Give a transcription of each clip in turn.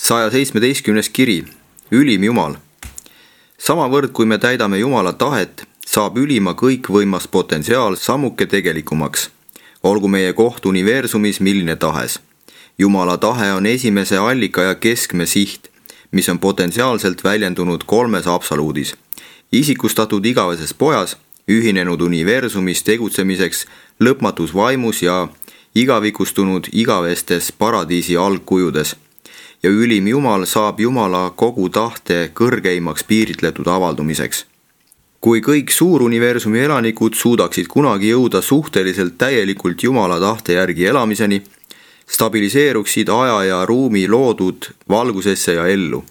117. kiri, ülim Jumal. Samavõrd, kui me täidame Jumala tahet, saab ülima kõikvõimas potentsiaal sammuke tegelikumaks. Olgu meie koht universumis milline tahes. Jumala tahe on esimese allika ja keskme siht, mis on potentsiaalselt väljendunud kolmes absoluudis. Isikustatud igaveses pojas, ühinenud universumis tegutsemiseks lõpmatus vaimus ja igavikustunud igavestes paradiisi algkujudes. Ja ülim Jumal saab Jumala kogu tahte kõrgeimaks piiritletud avaldumiseks. Kui kõik suuruniversumi elanikud suudaksid kunagi jõuda suhteliselt täielikult Jumala tahte järgi elamiseni, stabiliseeruksid aja ja ruumi loodud valgusesse ja ellu,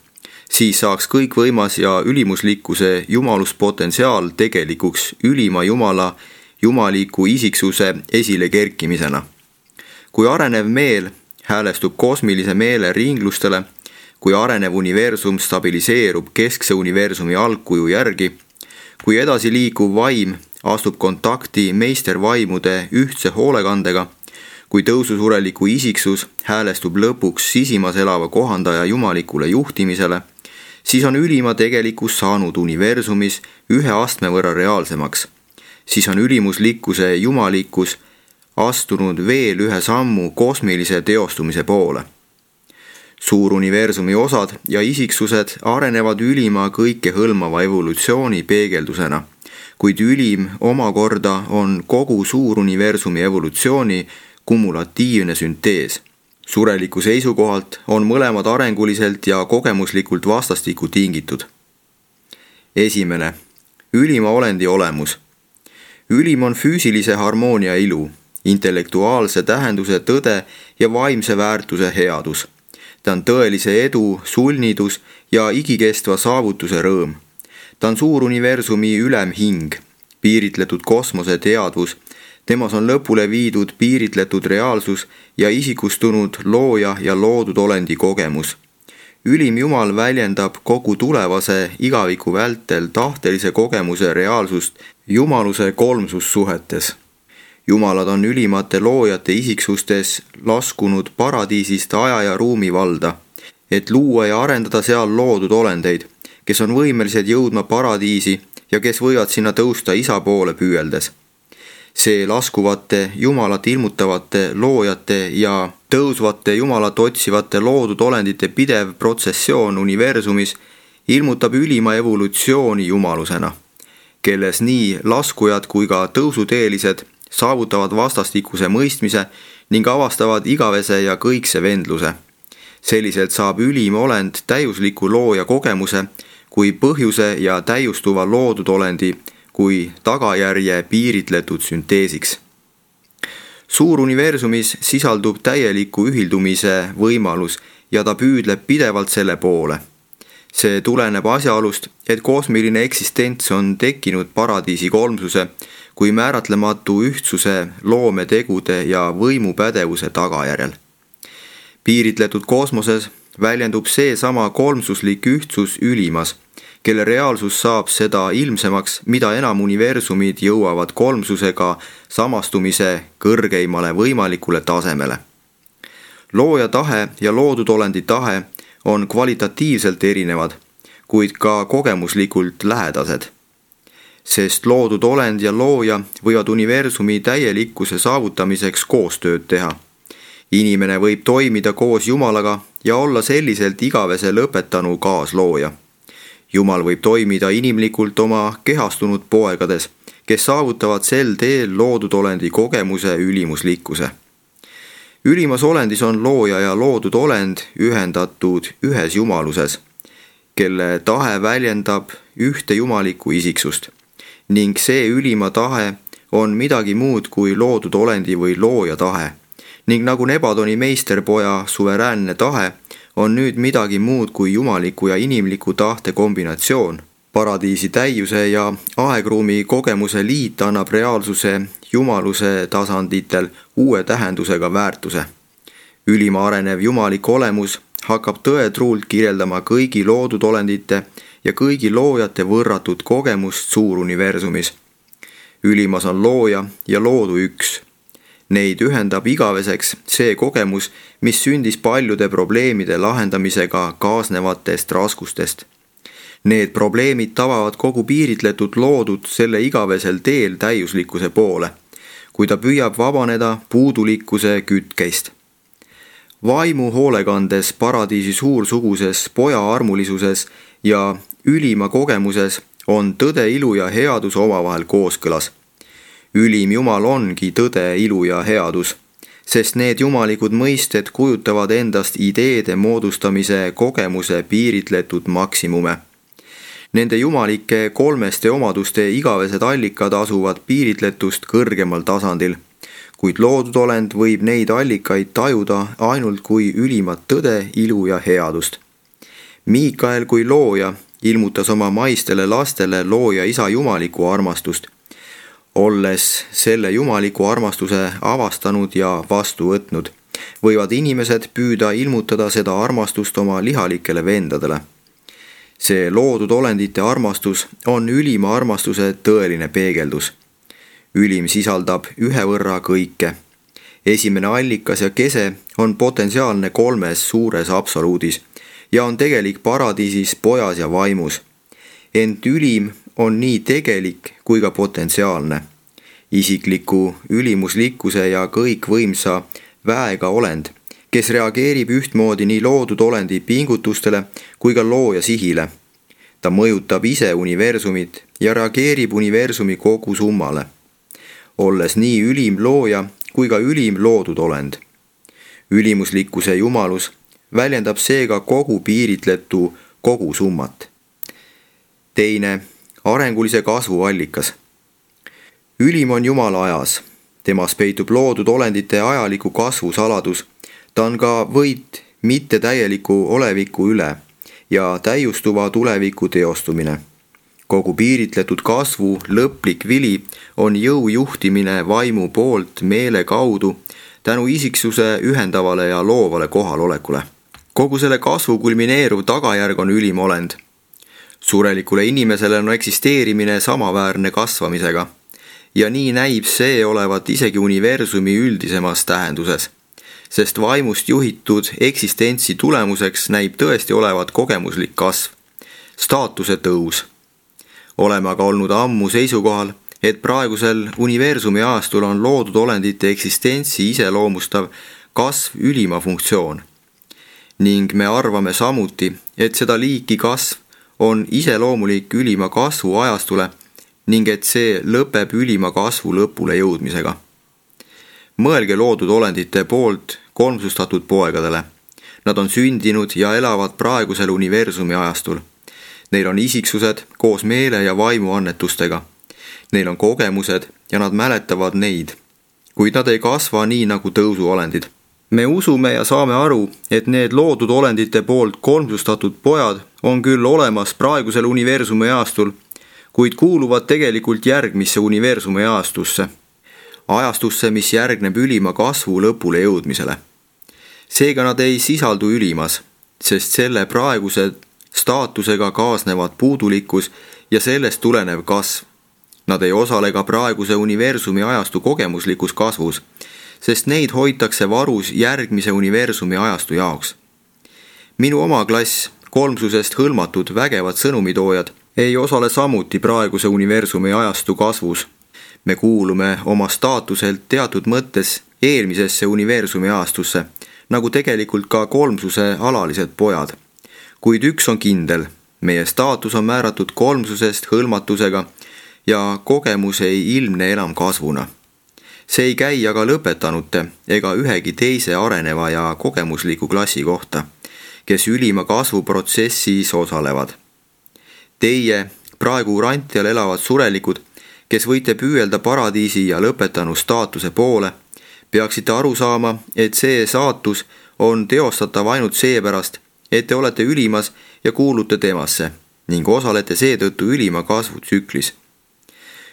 siis saaks kõikvõimas ja ülimuslikkuse jumaluspotentsiaal tegelikuks ülima Jumala jumaliku isiksuse esile kerkimisena. Kui arenev meel häälestub kosmilise meele ringlustele, kui arenev universum stabiliseerub keskse universumi algkuju järgi, kui edasi liikuv vaim astub kontakti meistervaimude ühtse hoolekandega, kui tõususureliku isiksus häälestub lõpuks sisimas elava kohandaja jumalikule juhtimisele, siis on ülima tegelikkus saanud universumis ühe astme võrra reaalsemaks. Siis on ülimuslikkuse jumalikkus astunud veel ühe sammu kosmilise teostumise poole. Suuruniversumi osad ja isiksused arenevad ülima kõikehõlmava evolutsiooni peegeldusena, kuid ülim omakorda on kogu suuruniversumi evolutsiooni kumulatiivne süntees. Sureliku seisukohalt on mõlemad arenguliselt ja kogemuslikult vastastikku tingitud. Esimene, ülima olendi olemus. Ülim on füüsilise harmoonia ilu, intellektuaalse tähenduse tõde ja vaimse väärtuse headus. Ta on tõelise edu, sulnidus ja igikestva saavutuse rõõm. Ta on suuruniversumi ülemhing, piiritletud kosmose teadvus, temas on lõpule viidud piiritletud reaalsus ja isikustunud looja ja loodud olendi kogemus. Ülim Jumal väljendab kogu tulevase igaviku vältel tahtelise kogemuse reaalsust jumaluse kolmsussuhetes. Jumalad on ülimate loojate isiksustes laskunud paradiisist aja ja ruumi valda, et luua ja arendada seal loodud olendeid, kes on võimelised jõudma paradiisi ja kes võivad sinna tõusta isa poole püüeldes. See laskuvate Jumalat ilmutavate loojate ja tõusvate Jumalat otsivate loodud olendite pidev protsessioon universumis ilmutab ülima evolutsiooni jumalusena, kelles nii laskujad kui ka tõusuteelised saavutavad vastastikuse mõistmise ning avastavad igavese ja kõikse vendluse. Selliselt saab ülim olend täiusliku looja kogemuse kui põhjuse ja täiustuva loodud olendi kui tagajärje piiritletud sünteesiks. Suuruniversumis sisaldub täieliku ühildumise võimalus ja ta püüdleb pidevalt selle poole. See tuleneb asjaolust, et kosmiline eksistents on tekkinud paradiisi kolmsuse kui määratlematu ühtsuse loometegude ja võimupädevuse tagajärjel. Piiritletud kosmoses väljendub seesama kolmsuslik ühtsus ülimas, kelle reaalsus saab seda ilmsemaks, mida enam universumid jõuavad kolmsusega samastumise kõrgeimale võimalikule tasemele. Looja tahe ja loodud olendi tahe on kvalitatiivselt erinevad, kuid ka kogemuslikult lähedased. Sest loodud olend ja looja võivad universumi täielikkuse saavutamiseks koostööd teha. Inimene võib toimida koos Jumalaga ja olla selliselt igavese lõpetanu kaaslooja. Jumal võib toimida inimlikult oma kehastunud poegades, kes saavutavad sel teel loodud olendi kogemuse ülimuslikkuse. Ülimas olendis on looja ja loodud olend ühendatud ühes jumaluses, kelle tahe väljendab ühte jumalikku isiksust. Ning see ülima tahe on midagi muud kui loodud olendi või looja tahe. Ning nagu Nebadoni meisterpoja suveräänne tahe on nüüd midagi muud kui jumaliku ja inimliku tahte kombinatsioon. Paradiisi täiuse ja aegruumi kogemuse liit annab reaalsuse jumaluse tasanditel uue tähendusega väärtuse. Ülima arenev jumalik olemus hakkab tõetruult kirjeldama kõigi loodud olendite ja kõigi loojate võrratut kogemust suuruniversumis. Ülimas on looja ja loodu üks. Neid ühendab igaveseks see kogemus, mis sündis paljude probleemide lahendamisega kaasnevatest raskustest. Need probleemid tabavad kogu piiritletud loodud selle igavesel teel täiuslikkuse poole, kui ta püüab vabaneda puudulikkuse kütkeist. Vaimu hoolekandes paradiisi suursuguses poja armulisuses ja ülima kogemuses on tõde, ilu ja headus omavahel kooskõlas. Ülim Jumal ongi tõde, ilu ja headus, sest need jumalikud mõisted kujutavad endast ideede moodustamise kogemuse piiritletud maksimume. Nende jumalike kolmeste omaduste igavesed allikad asuvad piiritletust kõrgemal tasandil, kuid loodud olend võib neid allikaid tajuda ainult kui ülimat tõde, ilu ja headust. Miikael kui looja ilmutas oma maistele lastele looja isa jumalikku armastust. Olles selle jumaliku armastuse avastanud ja vastu võtnud, võivad inimesed püüda ilmutada seda armastust oma lihalikele vendadele. See loodud olendite armastus on ülima armastuse tõeline peegeldus. Ülim sisaldab ühe võrra kõike. Esimene allikas ja kese on potentsiaalne kolmes suures absoluudis ja on tegelik paradiisis pojas ja vaimus. Ent ülim on nii tegelik kui ka potentsiaalne. Isikliku ülimuslikkuse ja kõikvõimsa väega olend, kes reageerib ühtmoodi nii loodud olendi pingutustele kui ka looja sihile. Ta mõjutab ise universumit ja reageerib universumi kogu summale, olles nii ülim looja kui ka ülim loodud olend. Ülimuslikkuse jumalus väljendab seega kogu piiritletu kogu summat. Teine, arengulise kasvu allikas. Ülim on Jumala ajas. Temas peitub loodud olendite ajaliku kasvu saladus. Ta on ka võit mittetäieliku oleviku üle ja täiustuva tuleviku teostumine. Kogu piiritletud kasvu lõplik vili on jõu juhtimine vaimu poolt meele kaudu tänu isiksuse ühendavale ja loovale kohalolekule. Kogu selle kasvu kulmineeruv tagajärg on ülim olend. Surelikule inimesele on eksisteerimine samaväärne kasvamisega ja nii näib see olevat isegi universumi üldisemas tähenduses, sest vaimust juhitud eksistentsi tulemuseks näib tõesti olevat kogemuslik kasv, staatuse tõus. Oleme aga olnud ammu seisukohal, et praegusel universumi ajastul on loodud olendite eksistentsi iseloomustav kasv ülima funktsioon. Ning me arvame samuti, et seda liiki kasv on iseloomulik ülima kasvu ajastule ning et see lõpeb ülima kasvu lõpule jõudmisega. Mõelge loodud olendite poolt kolmsustatud poegadele. Nad on sündinud ja elavad praegusel universumi ajastul. Neil on isiksused koos meele ja vaimu annetustega. Neil on kogemused ja nad mäletavad neid, kuid nad ei kasva nii nagu tõusuolendid. Me usume ja saame aru, et need loodud olendite poolt kolmsustatud pojad on küll olemas praegusel universumi ajastul, kuid kuuluvad tegelikult järgmisse universumi ajastusse, mis järgneb ülima kasvu lõpule jõudmisele. Seega nad ei sisaldu ülimas, sest selle praeguse staatusega kaasnevad puudulikkus ja sellest tulenev kasv. Nad ei osale ka praeguse universumi ajastu kogemuslikus kasvus, sest neid hoitakse varus järgmise universumi ajastu jaoks. Minu oma klass, kolmsusest hõlmatud vägevad sõnumitoojad, ei osale samuti praeguse universumi ajastu kasvus. Me kuulume oma staatuselt teatud mõttes eelmisesse universumi ajastusse, nagu tegelikult ka kolmsuse alalised pojad. Kuid üks on kindel, meie staatus on määratud kolmsusest hõlmatusega ja kogemus ei ilmne enam kasvuna. See ei käi aga lõpetanute ega ühegi teise areneva ja kogemusliku klassi kohta, kes ülima kasvuprotsessis osalevad. Teie, praegu Urantial elavad surelikud, kes võite püüelda paradiisi ja lõpetanu staatuse poole, peaksite aru saama, et see saatus on teostatav ainult seepärast, et te olete ülimas ja kuulute temasse ning osalete seetõttu ülima kasvutsüklis.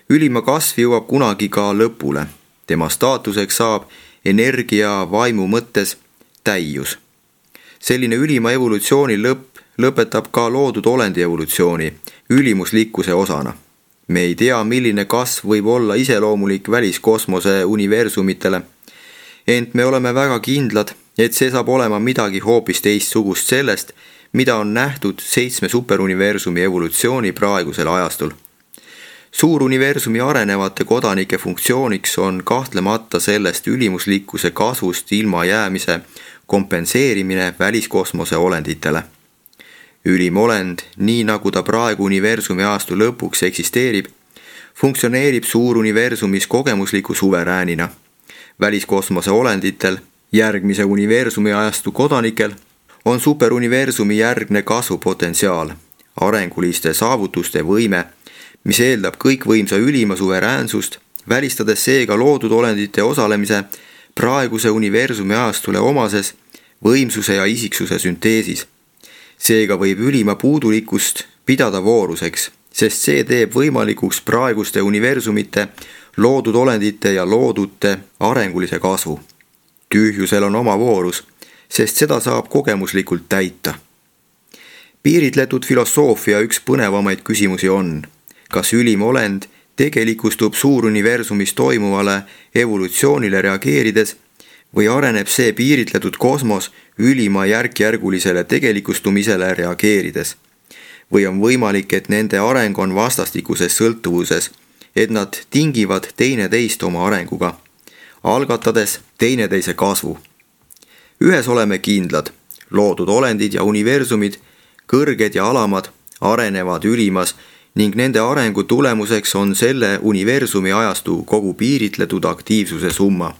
Ülima kasv jõuab kunagi ka lõpule. Tema staatuseks saab energia vaimu mõttes täius. Selline ülima evolutsiooni lõpetab ka loodud olendi evolutsiooni ülimuslikkuse osana. Me ei tea, milline kasv võib olla iseloomulik väliskosmose universumitele, ent me oleme väga kindlad, et see saab olema midagi hoopis teistsugust sellest, mida on nähtud 7 superuniversumi evolutsiooni praegusel ajastul. Suuruniversumi arenevate kodanike funktsiooniks on kahtlemata sellest ülimuslikkuse kasvust ilmajäämise kompenseerimine väliskosmose olenditele. Ülim olend, nii nagu ta praegu universumi ajastu lõpuks eksisteerib, funktsioneerib suuruniversumis kogemusliku suveräänina. Väliskosmose olenditel, järgmise universumi ajastu kodanikel, on superuniversumi järgne kasvupotentsiaal, arenguliste saavutuste võime, mis eeldab kõikvõimsa ülima suveräänsust, välistades seega loodud olendite osalemise praeguse universumi ajastule omases võimsuse ja isiksuse sünteesis. Seega võib ülima puudulikkust pidada vooruseks, sest see teeb võimalikuks praeguste universumite, loodud olendite ja loodute arengulise kasvu. Tühjusel on oma voorus, sest seda saab kogemuslikult täita. Piiritletud filosoofia üks põnevamaid küsimusi on, kas ülim olend tegelikustub suuruniversumis toimuvale evolutsioonile reageerides või areneb see piiritletud kosmos ülima järkjärgulisele tegelikustumisele reageerides? Või on võimalik, et nende areng on vastastikuses sõltuvuses, et nad tingivad teineteist oma arenguga, algatades teineteise kasvu? Ühes oleme kindlad, loodud olendid ja universumid, kõrged ja alamad, arenevad ülimas ning nende arengu tulemuseks on selle universumi ajastu kogu piiritletud aktiivsuse summa.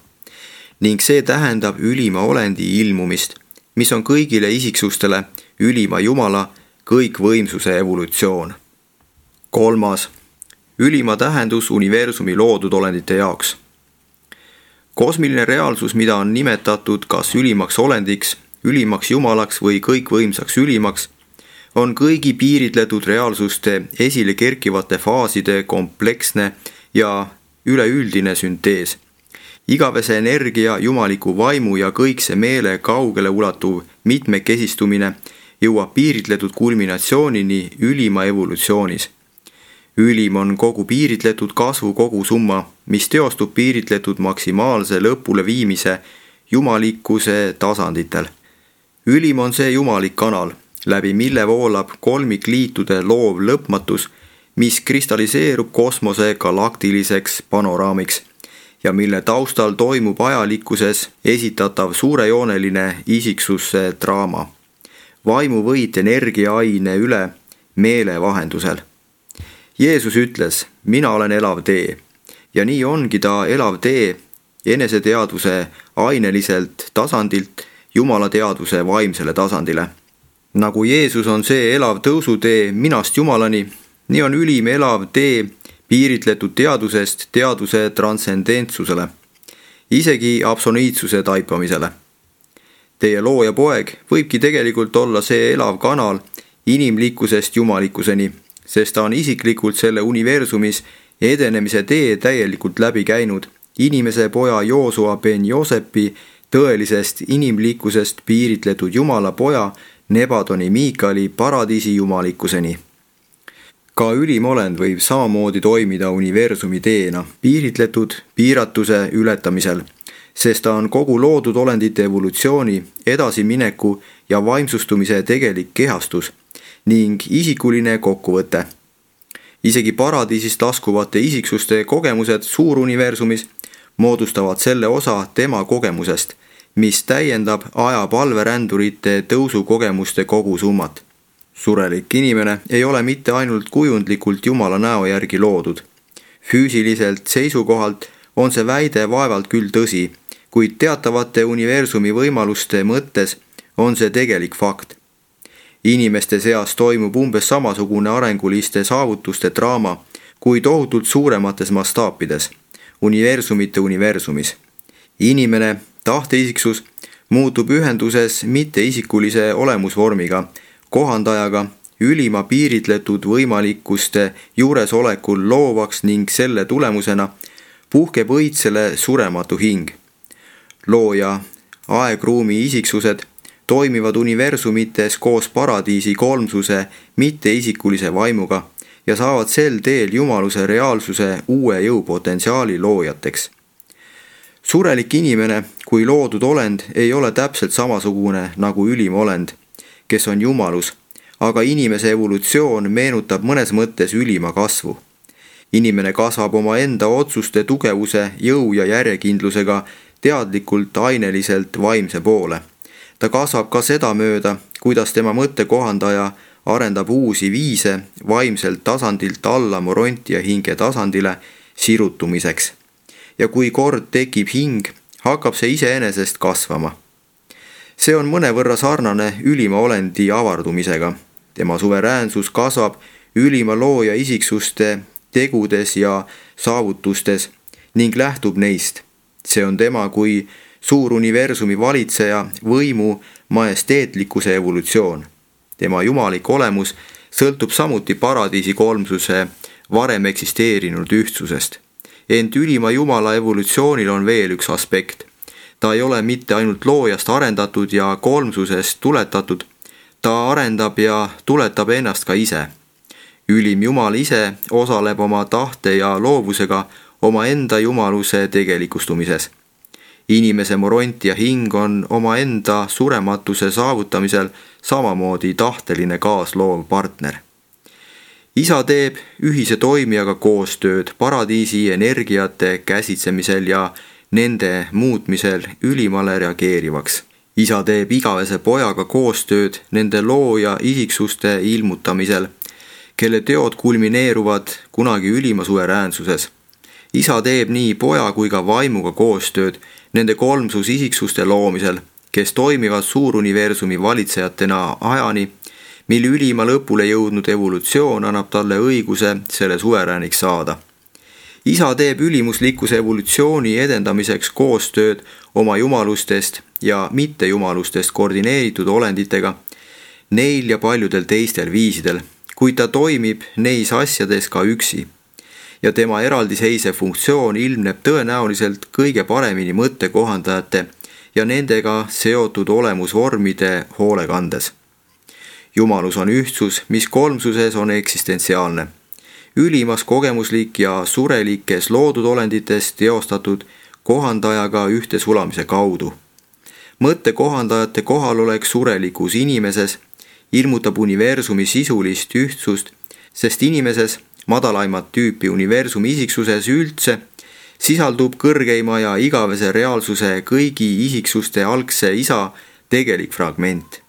Ning see tähendab ülima olendi ilmumist, mis on kõigile isiksustele ülima Jumala kõikvõimsuse evolutsioon. 3. Ülima tähendus universumi loodud olendite jaoks. Kosmiline reaalsus, mida on nimetatud kas ülimaks olendiks, ülimaks Jumalaks või kõikvõimsaks ülimaks, on kõigi piiritletud reaalsuste esile kerkivate faaside kompleksne ja üleüldine süntees. Igavese energia, jumaliku vaimu ja kõikse meele kaugele ulatuv mitmekesistumine jõuab piiritletud kulminatsioonini ülima evolutsioonis. Ülim on kogu piiritletud kasvu kogusumma, mis teostub piiritletud maksimaalse lõpule viimise jumalikkuse tasanditel. Ülim on see jumalik kanal, läbi mille voolab kolmikliitude loov lõpmatus, mis kristalliseerub kosmose galaktiliseks panoraamiks ja mille taustal toimub ajalikkuses esitatav suurejooneline isiksuse draama. Vaimuvõit energiaaine üle meele vahendusel. Jeesus ütles, mina olen elav tee, ja nii ongi ta elav tee eneseteadvuse aineliselt tasandilt Jumala teadvuse vaimsele tasandile. Nagu Jeesus on see elav tõusutee minast Jumalani, nii on ülim elav tee piiritletud teadusest teaduse transcendentsusele, isegi absoluutsuse taipamisele. Teie looja poeg võibki tegelikult olla see elav kanal inimlikkusest jumalikkuseni, sest ta on isiklikult selle universumis edenemise tee täielikult läbi käinud inimese poja Joosua ben Joosepi tõelisest inimlikkusest piiritletud Jumala poja Nebadoni Miikali paradiisi jumalikkuseni. Ka ülim olend võib samamoodi toimida universumi teena piiritletud piiratuse ületamisel, sest ta on kogu loodud olendite evolutsiooni, edasimineku ja vaimsustumise tegelik kehastus ning isikuline kokkuvõte. Isegi paradiisist laskuvate isiksuste kogemused suuruniversumis moodustavad selle osa tema kogemusest, mis täiendab ajapalverändurite tõusukogemuste kogusummat. Surelik inimene ei ole mitte ainult kujundlikult Jumala näo järgi loodud. Füüsiliselt seisukohalt on see väide vaevalt küll tõsi, kuid teatavate universumi võimaluste mõttes on see tegelik fakt. Inimeste seas toimub umbes samasugune arenguliste saavutuste draama kui tohutult suuremates mastaapides, universumite universumis. Inimene, tahteisiksus, muutub ühenduses mitteisikulise olemusvormiga, kohandajaga, ülima piiritletud võimalikkuste juuresolekul loovaks ning selle tulemusena puhkeb õitsele surematu hing. Looja, aegruumi isiksused toimivad universumites koos paradiisi kolmsuse mitteisikulise vaimuga ja saavad sel teel jumaluse reaalsuse uue jõupotentsiaali loojateks. Surelik inimene kui loodud olend ei ole täpselt samasugune nagu ülim olend, kes on jumalus, aga inimese evolutsioon meenutab mõnes mõttes ülima kasvu. Inimene kasvab omaenda otsuste tugevuse, jõu ja järjekindlusega teadlikult aineliselt vaimse poole. Ta kasvab ka seda mööda, kuidas tema mõttekohandaja arendab uusi viise vaimselt tasandilt alla morontia hinge tasandile sirutumiseks. Ja kui kord tekib hing, hakkab see iseenesest kasvama. See on mõnevõrra sarnane ülima olendi avardumisega. Tema suveräänsus kasvab ülima looja isiksuste tegudes ja saavutustes ning lähtub neist. See on tema kui suur universumi valitseja võimu majesteetlikkuse evolutsioon. Tema jumalik olemus sõltub samuti paradiisi kolmsuse varem eksisteerinud ühtsusest. Ent ülima jumala evolutsioonil on veel üks aspekt. Ta ei ole mitte ainult loojast arendatud ja kolmsusest tuletatud, ta arendab ja tuletab ennast ka ise. Ülim jumal ise osaleb oma tahte ja loovusega omaenda jumaluse tegelikustumises. Inimese moront ja hing on omaenda surematuse saavutamisel samamoodi tahteline kaasloov partner. Isa teeb ühise toimijaga koostööd paradiisi energiate käsitsemisel ja nende muutmisel ülimale reageerivaks. Isa teeb igavese pojaga koostööd nende looja isiksuste ilmutamisel, kelle teod kulmineeruvad kunagi ülima suveräänsuses. Isa teeb nii poja kui ka vaimuga koostööd nende kolmsus isiksuste loomisel, kes toimivad suuruniversumi valitsejatena ajani, mil ülima lõpule jõudnud evolutsioon annab talle õiguse selle suverääniks saada. Isa teeb ülimuslikkuse evolutsiooni edendamiseks koostööd oma jumalustest ja mittejumalustest koordineeritud olenditega, neil ja paljudel teistel viisidel, kuid ta toimib neis asjades ka üksi. Ja tema eraldiseisev funktsioon ilmneb tõenäoliselt kõige paremini mõttekohandajate ja nendega seotud olemusvormide hoolekandes. Jumalus on ühtsus, mis kolmsuses on eksistentsiaalne. Ülimas kogemuslik ja surelikes loodud olendites teostatud kohandajaga ühte sulamise kaudu. Mõttekohandajate kohalolek surelikus inimeses ilmutab universumi sisulist ühtsust, sest inimeses, madalaimat tüüpi universumi isiksuses üldse, sisaldub kõrgeima ja igavese reaalsuse kõigi isiksuste algse isa tegelik fragment.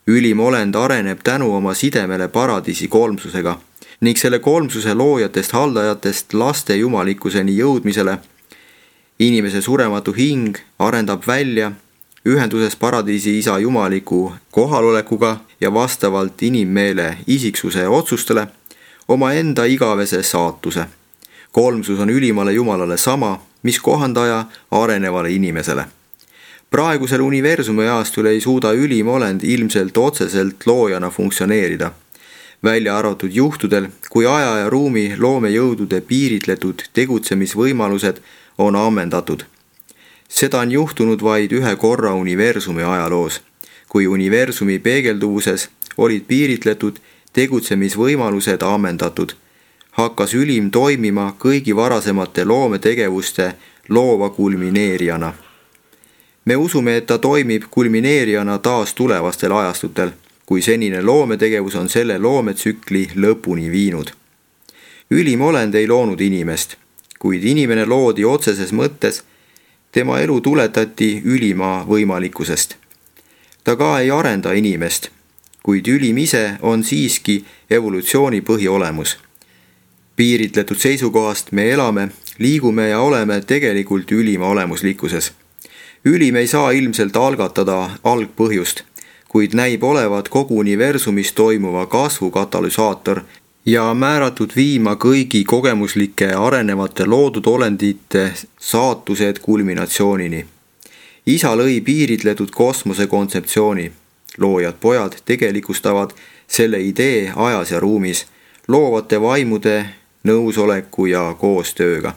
Ülim olend areneb tänu oma sidemele paradiisi kolmsusega ning selle kolmsuse loojatest haldajatest laste jumalikkuseni jõudmisele. Inimese surematu hing arendab välja ühenduses paradiisi isa jumaliku kohalolekuga ja vastavalt inimmeele isiksuse otsustele omaenda igavese saatuse. Kolmsus on ülimale jumalale sama, mis kohandaja arenevale inimesele. Praegusel universumi ajastul ei suuda ülim olend ilmselt otseselt loojana funktsioneerida, välja arvatud juhtudel, kui aja ja ruumi loomejõudude piiritletud tegutsemisvõimalused on ammendatud. Seda on juhtunud vaid ühe korra universumi ajaloos, kui universumi peegelduvuses olid piiritletud tegutsemisvõimalused ammendatud, hakkas ülim toimima kõigi varasemate loometegevuste loova kulmineerijana. Me usume, et ta toimib kulmineerijana taas tulevastel ajastutel, kui senine loometegevus on selle loometsükli lõpuni viinud. Ülim olend ei loonud inimest, kuid inimene loodi otseses mõttes, tema elu tuletati ülima võimalikkusest. Ta ka ei arenda inimest, kuid ülim ise on siiski evolutsiooni põhiolemus. Piiritletud seisukohast me elame, liigume ja oleme tegelikult ülima olemuslikkuses. Ülim ei saa ilmselt algatada algpõhjust, kuid näib olevat kogu universumis toimuva kasvu katalüsaator ja määratud viima kõigi kogemuslike arenevate loodud olendite saatused kulminatsioonini. Isa lõi piiritletud kosmose kontseptsiooni. Loojad pojad tegelikustavad selle idee ajas ja ruumis, loovate vaimude nõusoleku ja koostööga.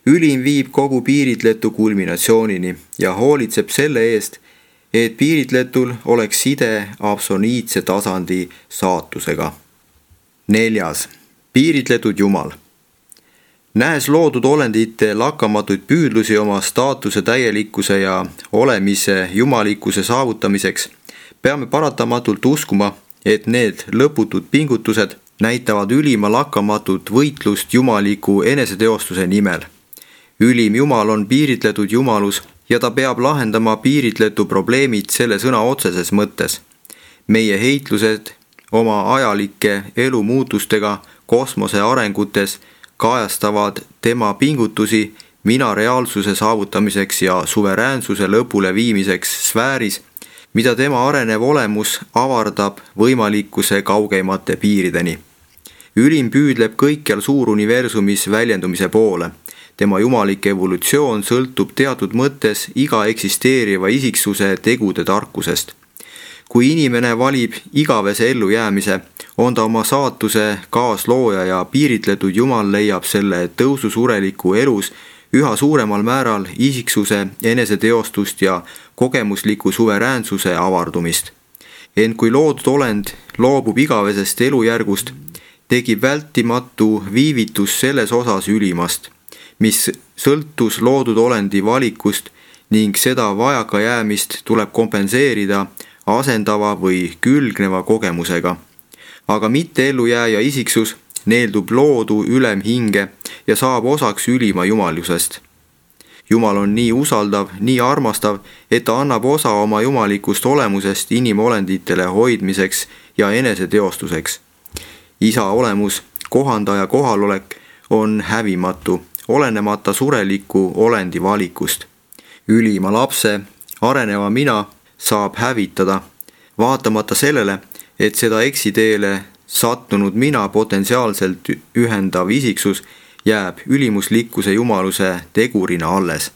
Ülim viib kogu piiritletu kulminatsioonini ja hoolitseb selle eest, et piiritletul oleks side absoliitse tasandi saatusega. 4. Piiritletud Jumal. Nähes loodud olendite lakkamatuid püüdlusi oma staatuse täielikkuse ja olemise jumalikkuse saavutamiseks, peame paratamatult uskuma, et need lõputud pingutused näitavad ülima lakkamatut võitlust jumaliku eneseteostuse nimel. Ülim Jumal on piiritletud jumalus ja ta peab lahendama piiritletu probleemid selle sõna otseses mõttes. Meie heitlused oma ajalike elumuutustega kosmose arengutes kajastavad tema pingutusi mina reaalsuse saavutamiseks ja suveräänsuse lõpule viimiseks sfääris, mida tema arenev olemus avardab võimalikkuse kaugeimate piirideni. Ülim püüdleb kõikjal suuruniversumis väljendumise poole. Tema jumalik evolutsioon sõltub teatud mõttes iga eksisteeriva isiksuse tegude tarkusest. Kui inimene valib igavese ellujäämise, on ta oma saatuse kaaslooja ja piiritletud Jumal leiab selle tõususureliku elus üha suuremal määral isiksuse eneseteostust ja kogemusliku suveräänsuse avardumist. Ent kui loodud olend loobub igavesest elujärgust, tekib vältimatu viivitus selles osas ülimast, mis sõltus loodud olendi valikust ning seda vajakajäämist tuleb kompenseerida asendava või külgneva kogemusega. Aga mitte ellujääja isiksus neeldub loodu ülemhinge ja saab osaks ülima jumalusest. Jumal on nii usaldav, nii armastav, et ta annab osa oma jumalikust olemusest inimolenditele hoidmiseks ja eneseteostuseks. Isa olemus, kohandaja kohalolek on hävimatu, olenemata sureliku olendi valikust. Ülima lapse, areneva mina saab hävitada, vaatamata sellele, et seda eksiteele sattunud mina potentsiaalselt ühendav isiksus jääb ülimuslikkuse jumaluse tegurina alles.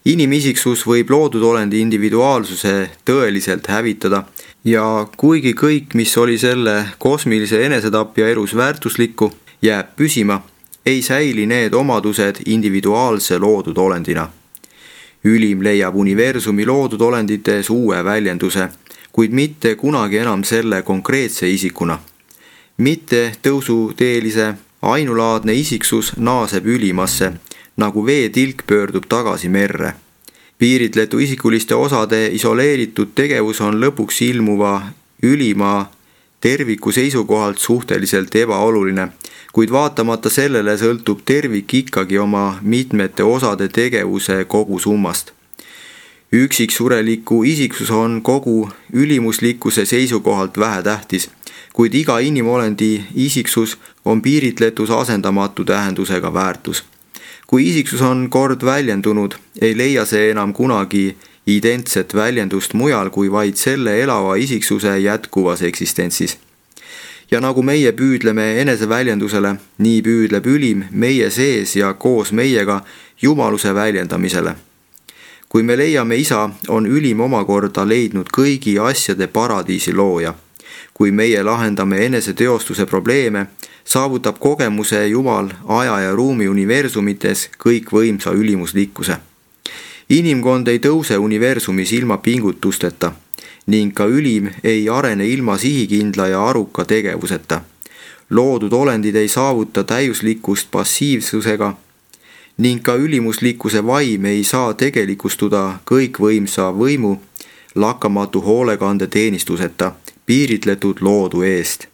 Inimisiksus võib loodud olendi individuaalsuse tõeliselt hävitada ja kuigi kõik, mis oli selle kosmilise enesetapja elus väärtuslikku, jääb püsima, ei säili need omadused individuaalse loodud olendina. Ülim leiab universumi loodud olendites uue väljenduse, kuid mitte kunagi enam selle konkreetse isikuna. Mitte tõusuteelise ainulaadne isiksus naaseb ülimasse, nagu veetilk pöördub tagasi merre. Piiritletu isikuliste osade isoleeritud tegevus on lõpuks ilmuva ülima terviku seisukohalt suhteliselt ebaoluline, kuid vaatamata sellele sõltub tervik ikkagi oma mitmete osade tegevuse kogusummast. Üksiksureliku isiksus on kogu ülimuslikkuse seisukohalt vähetähtis, kuid iga inimolendi isiksus on piiritletus asendamatu tähendusega väärtus. Kui isiksus on kord väljendunud, ei leia see enam kunagi identset väljendust mujal kui vaid selle elava isiksuse jätkuvas eksistentsis. Ja nagu meie püüdleme eneseväljendusele, nii püüdleb ülim meie sees ja koos meiega jumaluse väljendamisele. Kui me leiame isa, on ülim omakorda leidnud kõigi asjade paradiisi looja. Kui meie lahendame eneseteostuse probleeme, saavutab kogemuse Jumal aja ja ruumi universumites kõikvõimsa ülimuslikkuse. Inimkond ei tõuse universumis ilma pingutusteta ning ka ülim ei arene ilma sihikindla ja aruka tegevuseta. Loodud olendid ei saavuta täiuslikkust passiivsusega ning ka ülimuslikkuse vaim ei saa tegelikustada kõikvõimsa võimu lakkamatu hoolekande teenistuseta piiritletud loodu eest.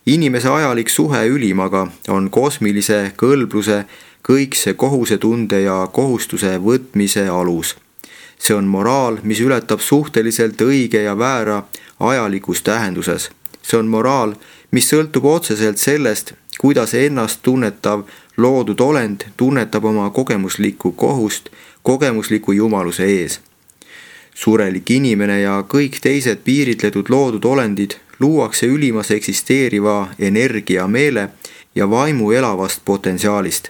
Inimese ajalik suhe ülimaga on kosmilise kõlbluse, kõikse kohusetunde ja kohustuse võtmise alus. See on moraal, mis ületab suhteliselt õige ja väära ajalikus tähenduses. See on moraal, mis sõltub otseselt sellest, kuidas ennast tunnetav loodud olend tunnetab oma kogemuslikku kohust kogemusliku jumaluse ees. Surelik inimene ja kõik teised piiritletud loodud olendid luuakse ülimas eksisteeriva energia meele ja vaimu elavast potentsiaalist.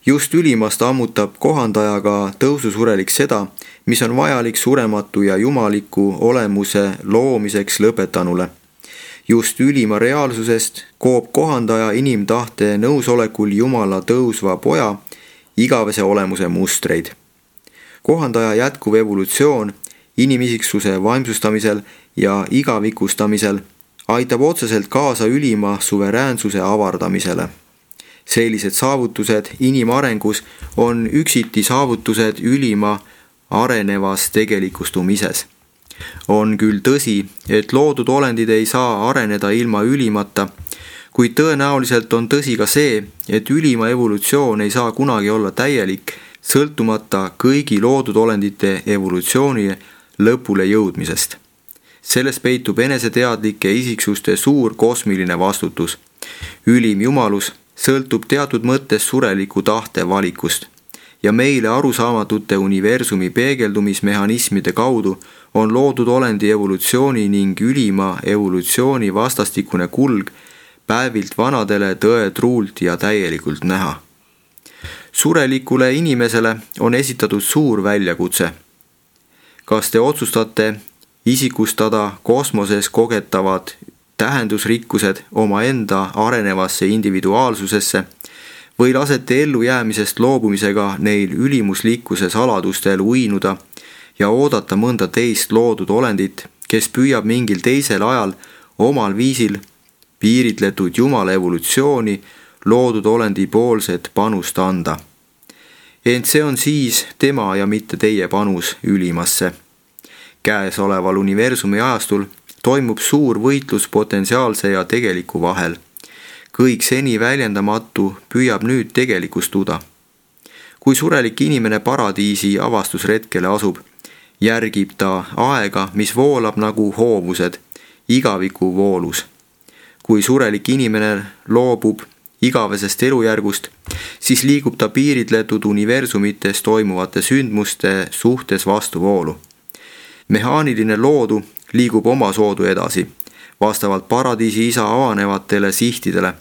Just ülimast ammutab kohandajaga tõususurelik seda, mis on vajalik surematu ja jumaliku olemuse loomiseks lõpetanule. Just ülima reaalsusest koob kohandaja inimtahte nõusolekul Jumala tõusva poja igavese olemuse mustreid. Kohandaja jätkuv evolutsioon inimisiksuse vaimsustamisel ja igavikustamisel aitab otseselt kaasa ülima suveräänsuse avardamisele. Sellised saavutused inimarengus on üksiti saavutused ülima arenevas tegelikustumises. On küll tõsi, et loodud olendid ei saa areneda ilma ülimata, kuid tõenäoliselt on tõsi ka see, et ülima evolutsioon ei saa kunagi olla täielik, sõltumata kõigi loodud olendite evolutsiooni lõpule jõudmisest. Selles peitub eneseteadlike isiksuste suur kosmiline vastutus. Ülim jumalus sõltub teatud mõttes sureliku tahte valikust ja meile arusaamatute universumi peegeldumismehhanismide kaudu on loodud olendi evolutsiooni ning ülima evolutsiooni vastastikune kulg päevilt vanadele tõetruult ja täielikult näha. Surelikule inimesele on esitatud suur väljakutse. Kas te otsustate isikustada kosmoses kogetavad tähendusrikkused omaenda arenevasse individuaalsusesse või lasete ellujäämisest loobumisega neil ülimuslikkuse saladustel uinuda ja oodata mõnda teist loodud olendit, kes püüab mingil teisel ajal omal viisil piiritletud Jumala evolutsiooni loodud olendi poolset panust anda. Ent see on siis tema ja mitte teie panus ülimasse. Käesoleval universumi ajastul toimub suur võitlus potentsiaalse ja tegeliku vahel. Kõik seni väljendamatu püüab nüüd tegelikustuda. Kui surelik inimene paradiisi avastusretkele asub, järgib ta aega, mis voolab nagu hoovused, igaviku voolus. Kui surelik inimene loobub igavesest elujärgust, siis liigub ta piiritletud universumites toimuvate sündmuste suhtes vastuvoolu. Mehaaniline loodu liigub omasoodu edasi, vastavalt paradiisi isa avanevatele sihtidele,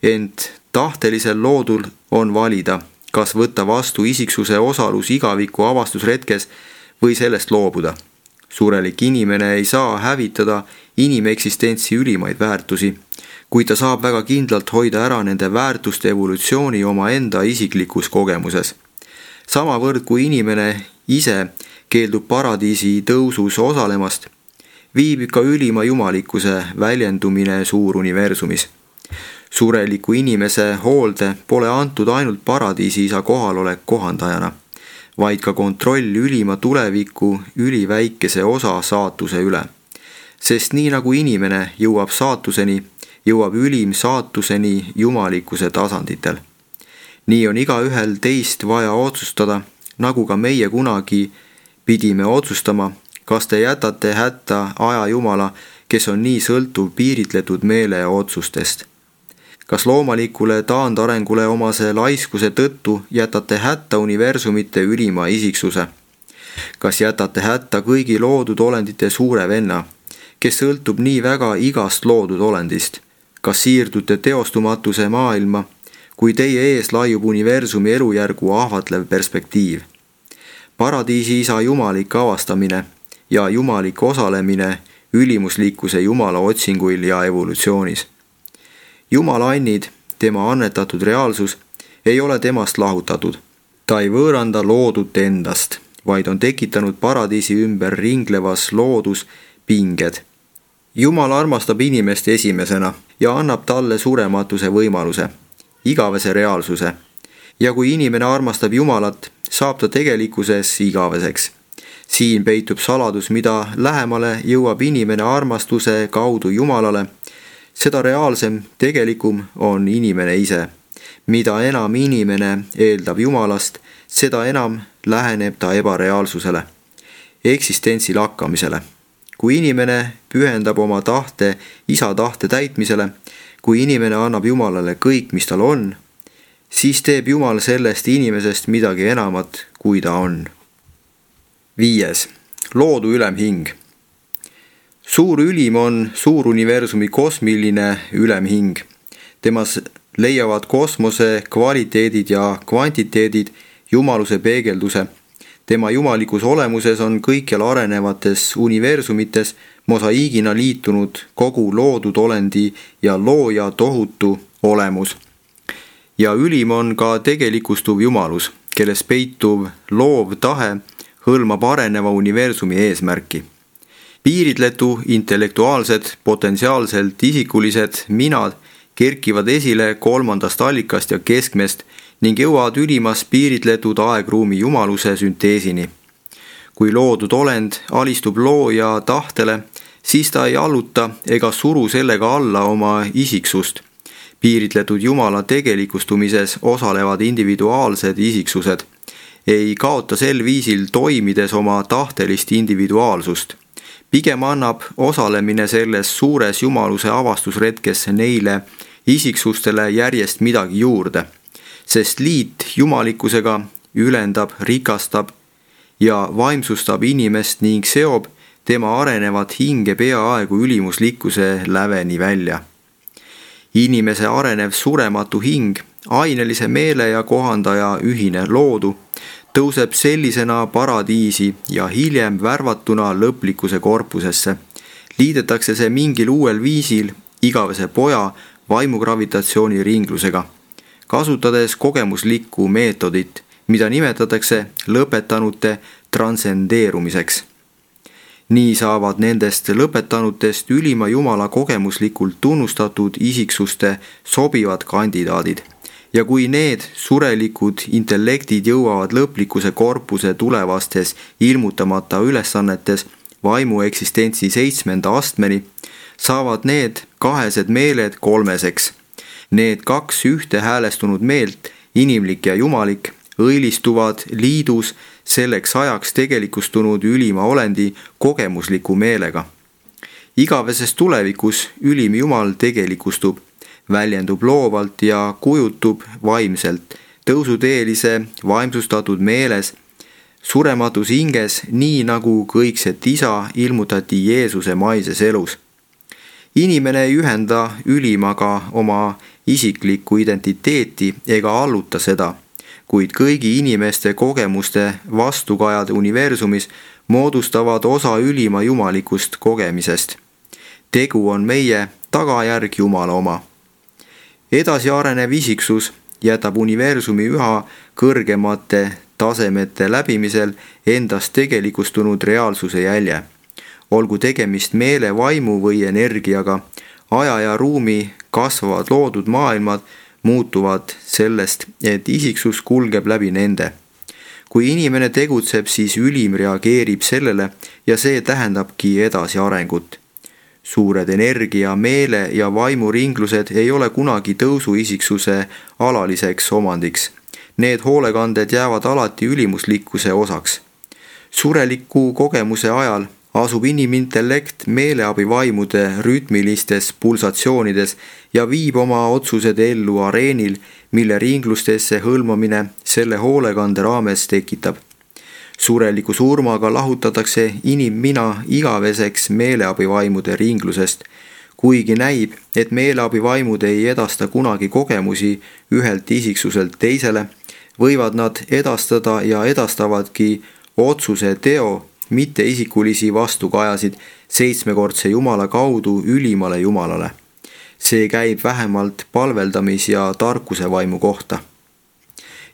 ent tahtelisel loodul on valida, kas võtta vastu isiksuse osalus igaviku avastusretkes või sellest loobuda. Surelik inimene ei saa hävitada inimeksistentsi ülimaid väärtusi, kuid ta saab väga kindlalt hoida ära nende väärtuste evolutsiooni omaenda isiklikus kogemuses. Samavõrd kui inimene ise keeldub paradiisi tõusus osalemast, viibib ka ülima jumalikkuse väljendumine suuruniversumis. Sureliku inimese hoolde pole antud ainult paradiisi isa kohalolek kohandajana, vaid ka kontroll ülima tuleviku üliväikese osa saatuse üle. Sest nii nagu inimene jõuab saatuseni, jõuab ülim saatuseni jumalikkuse tasanditel. Nii on igaühel teist vaja otsustada, nagu ka meie kunagi pidime otsustama, kas te jätate hätta aja Jumala, kes on nii sõltuv piiritletud meele otsustest. Kas loomalikule taandarengule omase laiskuse tõttu jätate hätta universumite ülima isiksuse? Kas jätate hätta kõigi loodud olendite suure venna, kes sõltub nii väga igast loodud olendist? Kas siirdute teostumatuse maailma, kui teie ees laiub universumi elujärgu ahvatlev perspektiiv? Paradiisi isa jumalik avastamine ja jumalik osalemine ülimuslikkuse Jumala otsinguil ja evolutsioonis. Jumala annid, tema annetatud reaalsus, ei ole temast lahutatud. Ta ei võõranda loodut endast, vaid on tekitanud paradiisi ümber ringlevas loodus pinged. Jumal armastab inimest esimesena ja annab talle surematuse võimaluse, igavese reaalsuse. Ja kui inimene armastab Jumalat, saab ta tegelikkuses igaveseks. Siin peitub saladus, mida lähemale jõuab inimene armastuse kaudu Jumalale, seda reaalsem, tegelikum on inimene ise. Mida enam inimene eeldab Jumalast, seda enam läheneb ta ebareaalsusele, eksistentsi lakkamisele. Kui inimene pühendab oma tahte isa tahte täitmisele, kui inimene annab Jumalale kõik, mis tal on, siis teeb Jumal sellest inimesest midagi enamat, kui ta on. 5. Loodu ülemhing. Suur ülim on suuruniversumi kosmiline ülemhing. Temas leiavad kosmose kvaliteedid ja kvantiteedid jumaluse peegelduse. Tema jumalikus olemuses on kõikjal arenevates universumites mosaiigina liitunud kogu loodud olendi ja looja tohutu olemus. Ja ülim on ka tegelikustuv jumalus, kelles peituv loov tahe hõlmab areneva universumi eesmärki. Piiritletu intellektuaalsed, potentsiaalselt isikulised minad kerkivad esile kolmandast allikast ja keskmest ning jõuavad ülimas piiritletud aegruumi jumaluse sünteesini. Kui loodud olend alistub looja tahtele, siis ta ei alluta ega suru sellega alla oma isiksust. Piiritletud Jumala tegelikustumises osalevad individuaalsed isiksused, ei kaota sel viisil toimides oma tahtelist individuaalsust. Pigem annab osalemine selles suures jumaluse avastusretkes neile isiksustele järjest midagi juurde, sest liit jumalikkusega ülendab, rikastab ja vaimsustab inimest ning seob tema arenevat hinge peaaegu ülimuslikkuse läveni välja. Inimese arenev surematu hing, ainelise meele ja kohandaja ühine loodu, tõuseb sellisena paradiisi ja hiljem värvatuna lõplikkuse korpusesse. Liidetakse see mingil uuel viisil igavese poja vaimugravitatsiooni ringlusega, kasutades kogemuslikku meetodit, mida nimetatakse lõpetanute transcendeerumiseks. Nii saavad nendest lõpetanutest ülima Jumala kogemuslikult tunnustatud isiksuste sobivad kandidaadid. Ja kui need surelikud intellektid jõuavad lõplikkuse korpuse tulevastes ilmutamata ülesannetes vaimu eksistentsi 7. astmeni, saavad need kahesed meeled kolmeseks. Need kaks ühte häälestunud meelt, inimlik ja jumalik, õilistuvad liidus selleks ajaks tegelikustunud ülima olendi kogemusliku meelega. Igaveses tulevikus ülim Jumal tegelikustub, väljendub loovalt ja kujutub vaimselt, tõusuteelise vaimsustatud meeles, surematus hinges, nii nagu kõikset isa ilmutati Jeesuse maises elus. Inimene ei ühenda ülimaga oma isiklikku identiteeti ega alluta seda, kuid kõigi inimeste kogemuste vastukajad universumis moodustavad osa ülima jumalikust kogemisest. Tegu on meie tagajärg Jumala oma. Edasi arenev isiksus jätab universumi üha kõrgemate tasemete läbimisel endast tegelikustunud reaalsuse jälje. Olgu tegemist meele, vaimu või energiaga, aja ja ruumi kasvavad loodud maailmad muutuvad sellest, et isiksus kulgeb läbi nende. Kui inimene tegutseb, siis ülim reageerib sellele ja see tähendabki edasiarengut. Suured energia, meele ja vaimuringlused ei ole kunagi tõusuisiksuse alaliseks omandiks. Need hoolekanded jäävad alati ülimuslikkuse osaks. Sureliku kogemuse ajal asub inimintellekt meeleabivaimude rütmilistes pulsatsioonides ja viib oma otsused ellu areenil, mille ringlustesse hõlmamine selle hoolekande raames tekitab. Sureliku surmaga lahutatakse inimmina igaveseks meeleabivaimude ringlusest, kuigi näib, et meeleabivaimud ei edasta kunagi kogemusi ühelt isiksuselt teisele, võivad nad edastada ja edastavadki otsuse teo, mitte isikulisi vastukajasid 7-kordse Jumala kaudu ülimale Jumalale. See käib vähemalt palveldamis- ja tarkuse vaimu kohta.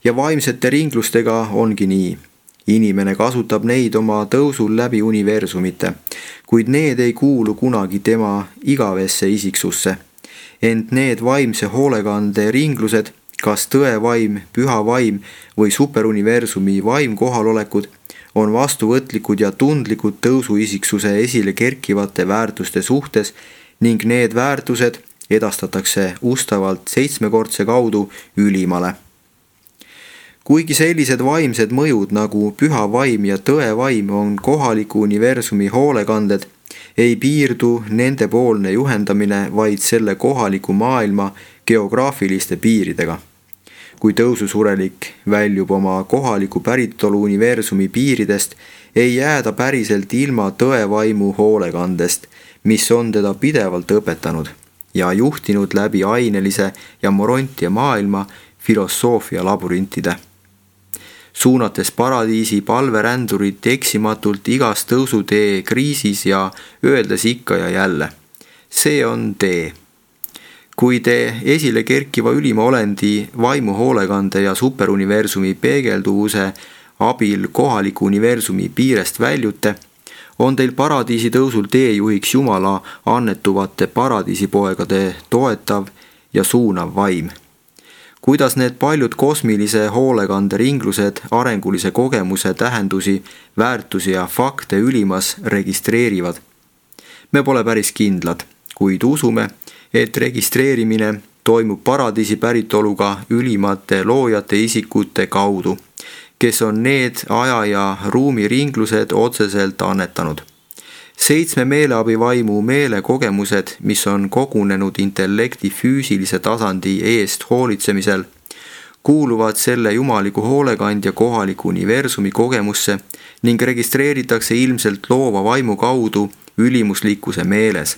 Ja vaimsete ringlustega ongi nii. Inimene kasutab neid oma tõusul läbi universumite, kuid need ei kuulu kunagi tema igavesse isiksusse. Ent need vaimse hoolekande ringlused, kas tõevaim, püha vaim või superuniversumi vaim kohalolekud, on vastuvõtlikud ja tundlikud tõusuisiksuse esile kerkivate väärtuste suhtes ning need väärtused edastatakse ustavalt 7-kordse kaudu ülimale. Kuigi sellised vaimsed mõjud nagu püha vaim ja tõevaim on kohaliku universumi hoolekanded, ei piirdu nendepoolne juhendamine vaid selle kohaliku maailma geograafiliste piiridega. Kui tõususurelik väljub oma kohaliku päritolu universumi piiridest, ei jääda päriselt ilma tõevaimu hoolekandest, mis on teda pidevalt õpetanud ja juhtinud läbi ainelise ja morontia maailma filosoofia labürintide. Suunates paradiisi palverändurit eksimatult igas tõusutee kriisis ja öeldes ikka ja jälle, see on tee. Kui te esile kerkiva ülima olendi vaimu hoolekande ja superuniversumi peegelduvuse abil kohaliku universumi piirest väljute, on teil paradiisi tõusul teejuhiks Jumala annetuvate paradiisipoegade toetav ja suunav vaim. Kuidas need paljud kosmilise hoolekande ringlused arengulise kogemuse tähendusi, väärtusi ja fakte ülimas registreerivad? Me pole päris kindlad, kuid usume, et registreerimine toimub paradiisi päritoluga ülimate loojate isikute kaudu, kes on need aja- ja ruumiringlused otseselt annetanud. 7 meeleabivaimu meelekogemused, mis on kogunenud intellekti füüsilise tasandi eest hoolitsemisel, kuuluvad selle jumaliku hoolekandja kohaliku universumi kogemusse ning registreeritakse ilmselt loova vaimu kaudu ülimuslikkuse meeles.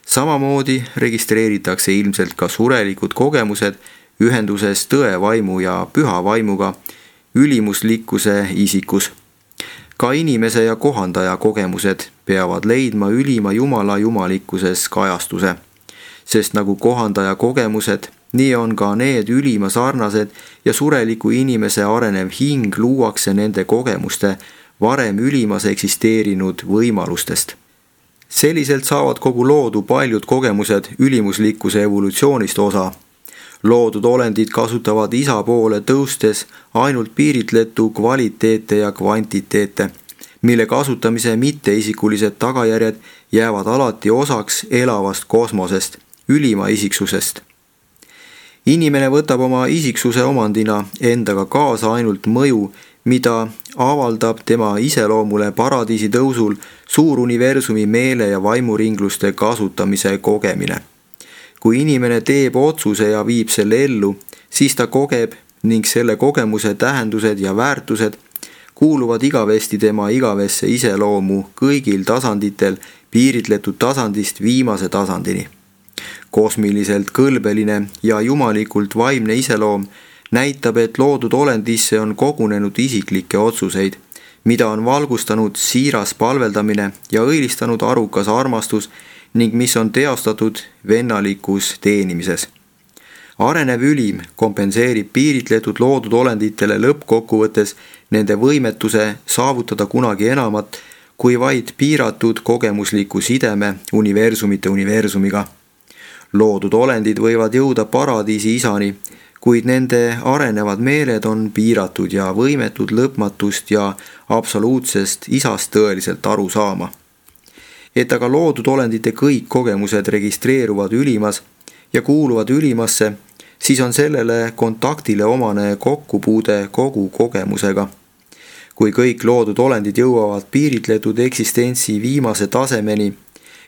Samamoodi registreeritakse ilmselt ka surelikud kogemused ühenduses tõe vaimu ja püha vaimuga ülimuslikkuse isikus. Ka inimese ja kohandaja kogemused peavad leidma ülima Jumala jumalikkuses kajastuse, sest nagu kohandaja kogemused, nii on ka need ülima sarnased ja sureliku inimese arenev hing luuakse nende kogemuste varem ülimas eksisteerinud võimalustest. Selliselt saavad kogu loodu paljud kogemused ülimuslikkuse evolutsioonist osa. Loodud olendid kasutavad isa poole tõustes ainult piiritletu kvaliteete ja kvantiteete, mille kasutamise mitteisikulised tagajärjed jäävad alati osaks elavast kosmosest, ülima isiksusest. Inimene võtab oma isiksuse omandina endaga kaasa ainult mõju, mida avaldab tema iseloomule paradiisi tõusul suuruniversumi meele- ja vaimuringluste kasutamise kogemine. Kui inimene teeb otsuse ja viib selle ellu, siis ta kogeb ning selle kogemuse tähendused ja väärtused kuuluvad igavesti tema igavesse iseloomu kõigil tasanditel piiritletud tasandist viimase tasandini. Kosmiliselt kõlbeline ja jumalikult vaimne iseloom näitab, et loodud olendisse on kogunenud isiklikke otsuseid, mida on valgustanud siiras palveldamine ja õilistanud arukas armastus ning mis on teostatud vennalikus teenimises. Arenev ülim kompenseerib piiritletud loodud olenditele lõppkokkuvõttes nende võimetuse saavutada kunagi enamat kui vaid piiratud kogemusliku sideme universumite universumiga. Loodud olendid võivad jõuda paradiisi isani, kuid nende arenevad meeled on piiratud ja võimetud lõpmatust ja absoluutsest isast tõeliselt aru saama. Et aga loodud olendite kõik kogemused registreeruvad ülimas ja kuuluvad ülimasse, siis on sellele kontaktile omane kokkupuude kogu kogemusega. Kui kõik loodud olendid jõuavad piiritletud eksistentsi viimase tasemeni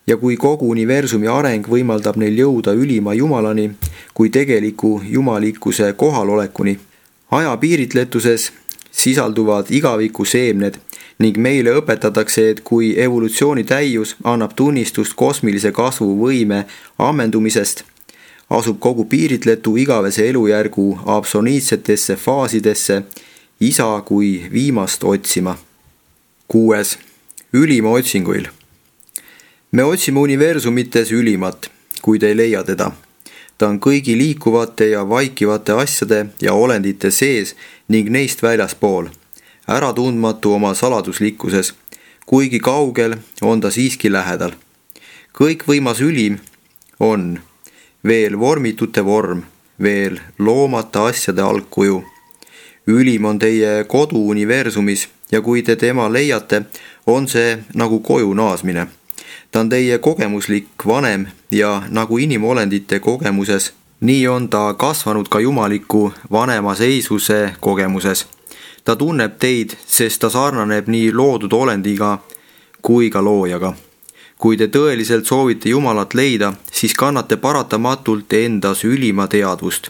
ja kui kogu universumi areng võimaldab neil jõuda ülima Jumalani kui tegeliku jumalikkuse kohalolekuni, aja piiritletuses sisalduvad igaviku seemned ning meile õpetatakse, et kui evolutsiooni täius annab tunnistust kosmilise kasvu võime ammendumisest, asub kogu piiritletu igavese elujärgu absoluutsetesse faasidesse isa kui viimast otsima. 6. Ülima otsinguil. Me otsime universumites ülimat, kuid ei leia teda. Ta on kõigi liikuvate ja vaikivate asjade ja olendite sees ning neist väljaspool, äratundmatu oma saladuslikkuses, kuigi kaugel on ta siiski lähedal. Kõikvõimas ülim on veel vormitute vorm, veel loomata asjade algkuju. Ülim on teie kodu universumis ja kui te tema leiate, on see nagu koju naasmine. Ta on teie kogemuslik vanem ja nagu inimolendite kogemuses, nii on ta kasvanud ka jumaliku vanema seisuse kogemuses. Ta tunneb teid, sest ta sarnaneb nii loodud olendiga kui ka loojaga. Kui te tõeliselt soovite Jumalat leida, siis kannate paratamatult endas ülima teadvust.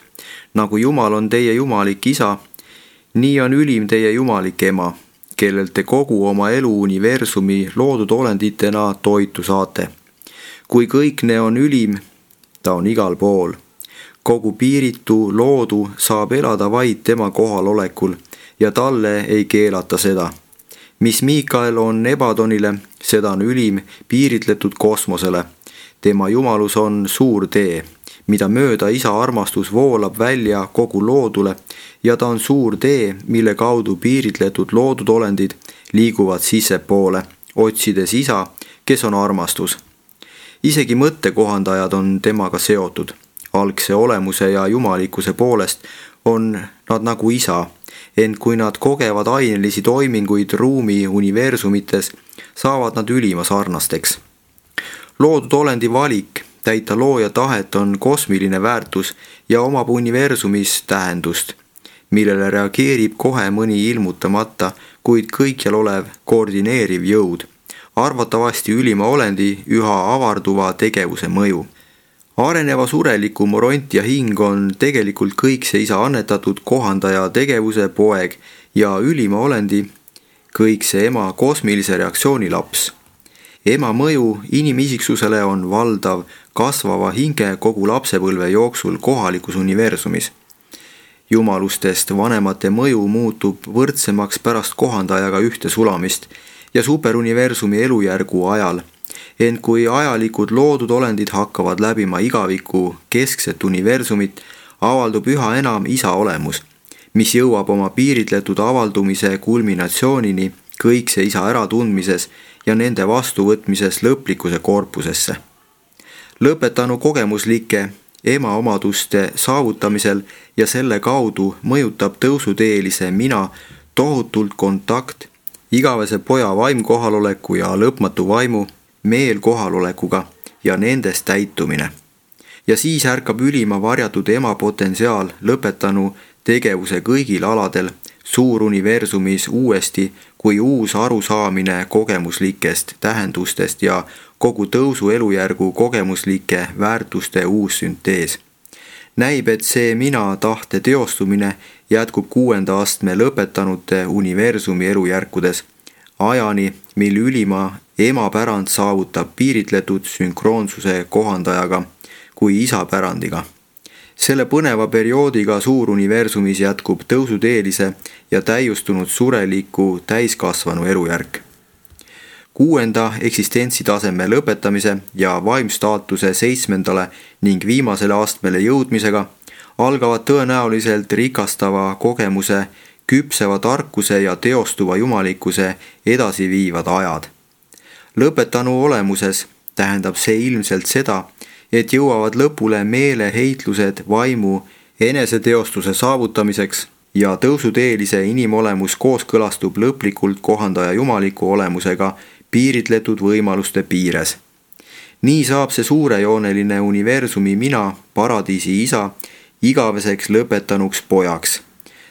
Nagu Jumal on teie jumalik isa, nii on ülim teie jumalik ema, kellelt te kogu oma elu universumi loodud olenditena toitu saate. Kui kõikne on ülim, ta on igal pool. Kogu piiritu loodu saab elada vaid tema kohalolekul ja talle ei keelata seda. Mis Miikael on Ebadonile, seda on ülim piiritletud kosmosele. Tema jumalus on suur tee, mida mööda isa armastus voolab välja kogu loodule ja ta on suur tee, mille kaudu piiritletud loodud olendid liiguvad sissepoole, otsides isa, kes on armastus. Isegi mõttekohandajad on temaga seotud. Algse olemuse ja jumalikkuse poolest on nad nagu isa, ent kui nad kogevad ainelisi toiminguid ruumi universumites, saavad nad ülima sarnasteks. Loodud olendi valik täita looja tahet on kosmiline väärtus ja omab universumis tähendust, millele reageerib kohe mõni ilmutamata, kuid kõikjal olev koordineeriv jõud, arvatavasti ülima olendi üha avarduva tegevuse mõju. Areneva sureliku morontia hing on tegelikult kõikse isa annetatud kohandaja tegevuse poeg ja ülima olendi kõikse ema kosmilise reaktsiooni laps. Ema mõju inimisiksusele on valdav kasvava hinge kogu lapsepõlve jooksul kohalikus universumis. Jumalustest vanemate mõju muutub võrdsemaks pärast kohandajaga ühte sulamist ja superuniversumi elujärgu ajal, ent kui ajalikud loodud olendid hakkavad läbima igaviku keskset universumit, avaldub üha enam isa olemus, mis jõuab oma piiritletud avaldumise kulminatsioonini kõikse isa äratundmises ja nende vastuvõtmises lõplikuse korpusesse. Lõpetanu kogemuslike ema omaduste saavutamisel ja selle kaudu mõjutab tõusuteelise mina tohutult kontakt igavese poja vaimkohaloleku ja lõpmatu vaimu meel kohalolekuga ja nendest täitumine. Ja siis ärkab ülima varjatud ema potentsiaal lõpetanu tegevuse kõigil aladel suuruniversumis uuesti kui uus arusaamine kogemuslikest tähendustest ja kogu tõusu elujärgu kogemuslike väärtuste uus süntees. Näib, et see mina tahte teostumine jätkub 6. astme lõpetanute universumi elujärkudes, ajani, mil ülima ema pärand saavutab piiritletud sünkroonsuse kohandajaga kui isa pärandiga. Selle põneva perioodiga suuruniversumis jätkub tõusuteelise ja täiustunud sureliku täiskasvanu elujärk. 6. eksistentsitaseme lõpetamise ja vaimstaatuse 7. ning viimasele astmele jõudmisega algavad tõenäoliselt rikastava kogemuse, küpseva tarkuse ja teostuva jumalikkuse edasiviivad ajad. Lõpetanu olemuses tähendab see ilmselt seda, et jõuavad lõpule meeleheitlused vaimu eneseteostuse saavutamiseks ja tõusuteelise inimolemus kooskõlastub lõplikult kohandaja jumaliku olemusega piiritletud võimaluste piires. Nii saab see suurejooneline universumi mina, paradiisi isa, igaveseks lõpetanuks pojaks.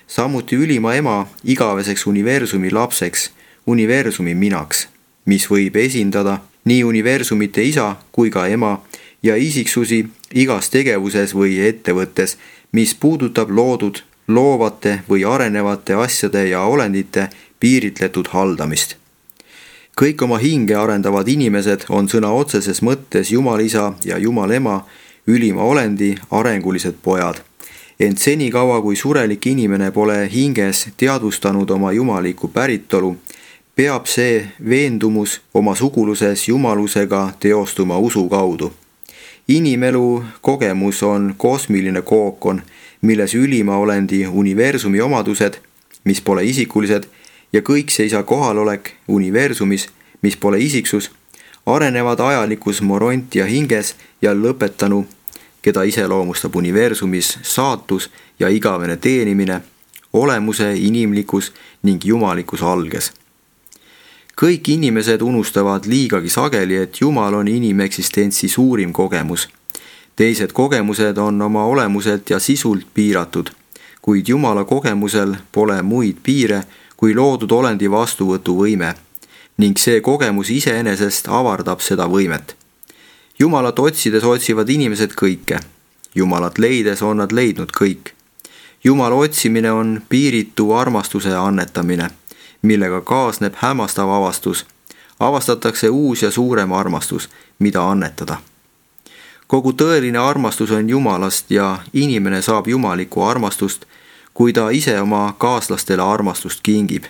Samuti ülima ema igaveseks universumi lapseks, universumi minaks, mis võib esindada nii universumite isa kui ka ema ja isiksusi igas tegevuses või ettevõttes, mis puudutab loodud, loovate või arenevate asjade ja olendite piiritletud haldamist. Kõik oma hinge arendavad inimesed on sõna otseses mõttes Jumalisa ja Jumalema ülima olendi arengulised pojad. Ent senikaua, kui surelik inimene pole hinges teadvustanud oma jumalikku päritolu, peab see veendumus oma suguluses jumalusega teostuma usu kaudu. Inimelu kogemus on kosmiline kookon, milles ülima olendi universumi omadused, mis pole isikulised, ja kõikse isa kohalolek universumis, mis pole isiksus, arenevad ajalikus morontia hinges ja lõpetanu, keda iseloomustab universumis saatus ja igavene teenimine, olemuse inimlikus ning jumalikus alges. Kõik inimesed unustavad liigagi sageli, et Jumal on inimeksistentsi suurim kogemus. Teised kogemused on oma olemuselt ja sisult piiratud, kuid Jumala kogemusel pole muid piire kui loodud olendi vastuvõtuvõime, ning see kogemus iseenesest avardab seda võimet. Jumalat otsides otsivad inimesed kõike. Jumalat leides on nad leidnud kõik. Jumala otsimine on piiritu armastuse annetamine, millega kaasneb hämmastav avastus. Avastatakse uus ja suurem armastus, mida annetada. Kogu tõeline armastus on Jumalast ja inimene saab jumalikku armastust, kui ta ise oma kaaslastele armastust kingib.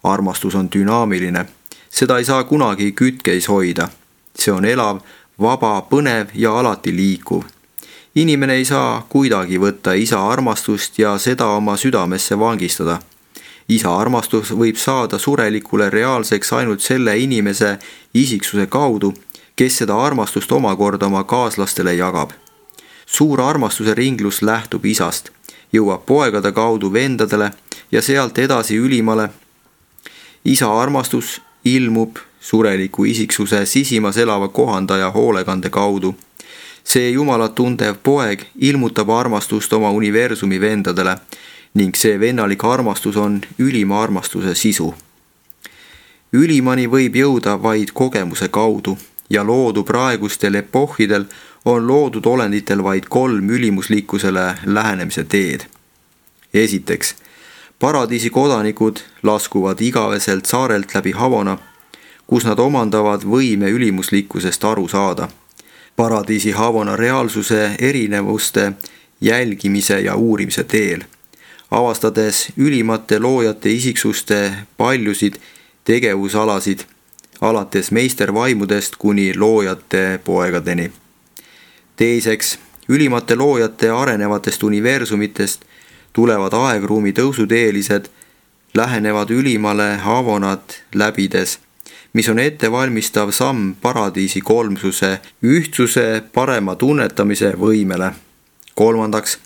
Armastus on dünaamiline. Seda ei saa kunagi kütkeis hoida. See on elav, vaba, põnev ja alati liikuv. Inimene ei saa kuidagi võtta isa armastust ja seda oma südamesse vangistada. Isa armastus võib saada surelikule reaalseks ainult selle inimese isiksuse kaudu, kes seda armastust omakorda oma kaaslastele jagab. suur armastuse ringlus lähtub isast, jõuab poegade kaudu vendadele ja sealt edasi ülimale. Isa armastus ilmub sureliku isiksuse sisimas elava kohandaja hoolekande kaudu. See Jumalat tundev poeg ilmutab armastust oma universumi vendadele ning see vennalik armastus on ülima armastuse sisu. Ülimani võib jõuda vaid kogemuse kaudu ja loodu praegustel epohhidel on loodud olenditel vaid 3 ülimuslikkusele lähenemise teed. Esiteks, paradiisi kodanikud laskuvad igaveselt saarelt läbi Havana, kus nad omandavad võime ülimuslikkusest aru saada. Paradiisi Havana reaalsuse erinevuste jälgimise ja uurimise teel, avastades ülimate loojate isiksuste paljusid tegevusalasid, alates meistervaimudest kuni loojate poegadeni. Teiseks, ülimate loojate arenevatest universumitest tulevad aegruumi tõusuteelised, lähenevad ülimale Havanat läbides, mis on ettevalmistav samm paradiisi kolmsuse, ühtsuse parema tunnetamise võimele. Kolmandaks,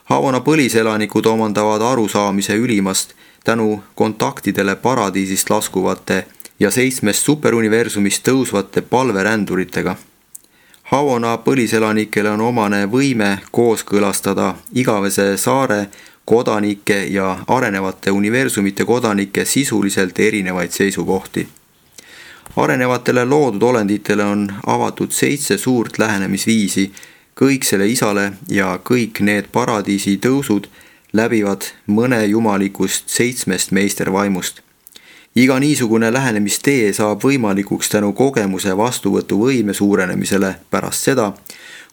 Havana põliselanikud omandavad arusaamise ülimast tänu kontaktidele paradiisist laskuvate ja 7 superuniversumist tõusvate palveränduritega. Havana põliselanikele on omane võime kooskõlastada igavese saare kodanike ja arenevate universumite kodanike sisuliselt erinevaid seisukohti. Arenevatele loodud olenditele on avatud 7 suurt lähenemisviisi kõiksele isale ja kõik need paradiisi tõusud läbivad mõne jumalikust 7 meistervaimust. Iga niisugune lähenemistee saab võimalikuks tänu kogemuse vastuvõtuvõime suurenemisele pärast seda,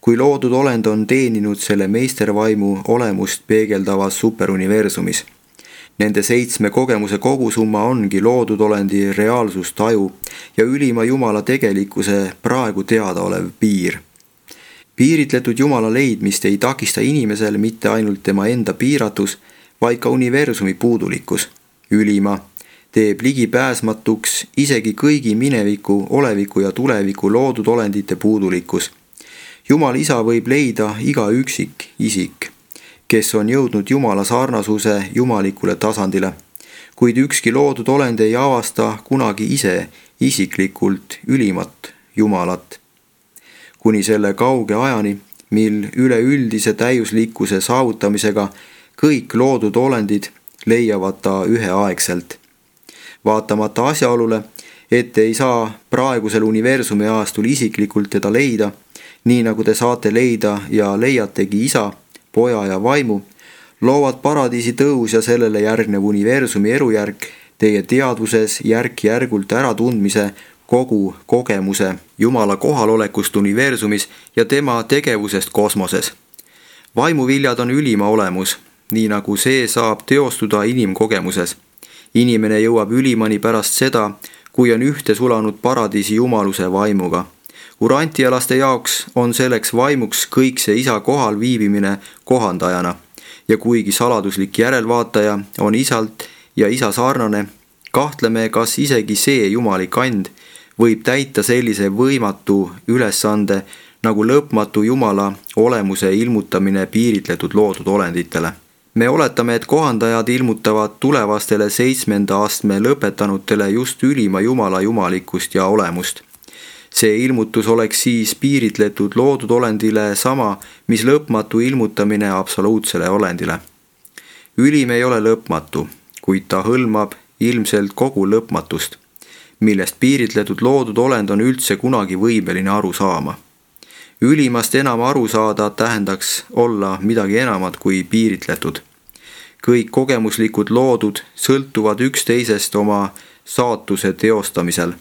kui loodud olend on teeninud selle meistervaimu olemust peegeldavas superuniversumis. Nende 7 kogemuse kogusumma ongi loodud olendi reaalsustaju ja ülima Jumala tegelikkuse praegu teadaolev piir. Piiritletud Jumala leidmist ei takista inimesel mitte ainult tema enda piiratus, vaid ka universumi puudulikkus. Ülima teeb ligipääsmatuks isegi kõigi mineviku, oleviku ja tuleviku loodud olendite puudulikkus. Jumal isa võib leida iga üksik isik, kes on jõudnud Jumala sarnasuse jumalikule tasandile, kuid ükski loodud olend ei avasta kunagi ise isiklikult ülimat Jumalat. Kuni selle kauge ajani, mil üleüldise täiuslikkuse saavutamisega kõik loodud olendid leiavad ta üheaegselt. Vaatamata asjaolule, et ei saa praegusel universumi aastul isiklikult teda leida, nii nagu te saate leida ja leiategi isa, poja ja vaimu, loovad paradiisi tõus ja sellele järgnev universumi elujärk teie teadvuses järk-järgult äratundmise kogu kogemuse Jumala kohalolekust universumis ja tema tegevusest kosmoses. Vaimuviljad on ülima olemus, nii nagu see saab teostuda inimkogemuses. Inimene jõuab ülimani pärast seda, kui on ühte sulanud paradiisi jumaluse vaimuga. Urantialaste jaoks on selleks vaimuks kõik see isa kohal viibimine kohandajana ja kuigi saladuslik järelvaataja on isalt ja isa sarnane, kahtleme, kas isegi see jumalik and võib täita sellise võimatu ülesande nagu lõpmatu Jumala olemuse ilmutamine piiritletud loodud olenditele. Me oletame, et kohandajad ilmutavad tulevastele 7. astme lõpetanutele just ülima Jumala jumalikkust ja olemust. See ilmutus oleks siis piiritletud loodud olendile sama, mis lõpmatu ilmutamine absoluutsele olendile. Ülim ei ole lõpmatu, kuid ta hõlmab ilmselt kogu lõpmatust, millest piiritletud loodud olend on üldse kunagi võimeline aru saama. Ülimast enam aru saada tähendaks olla midagi enamat kui piiritletud. Kõik kogemuslikud loodud sõltuvad üksteisest oma saatuse teostamisel.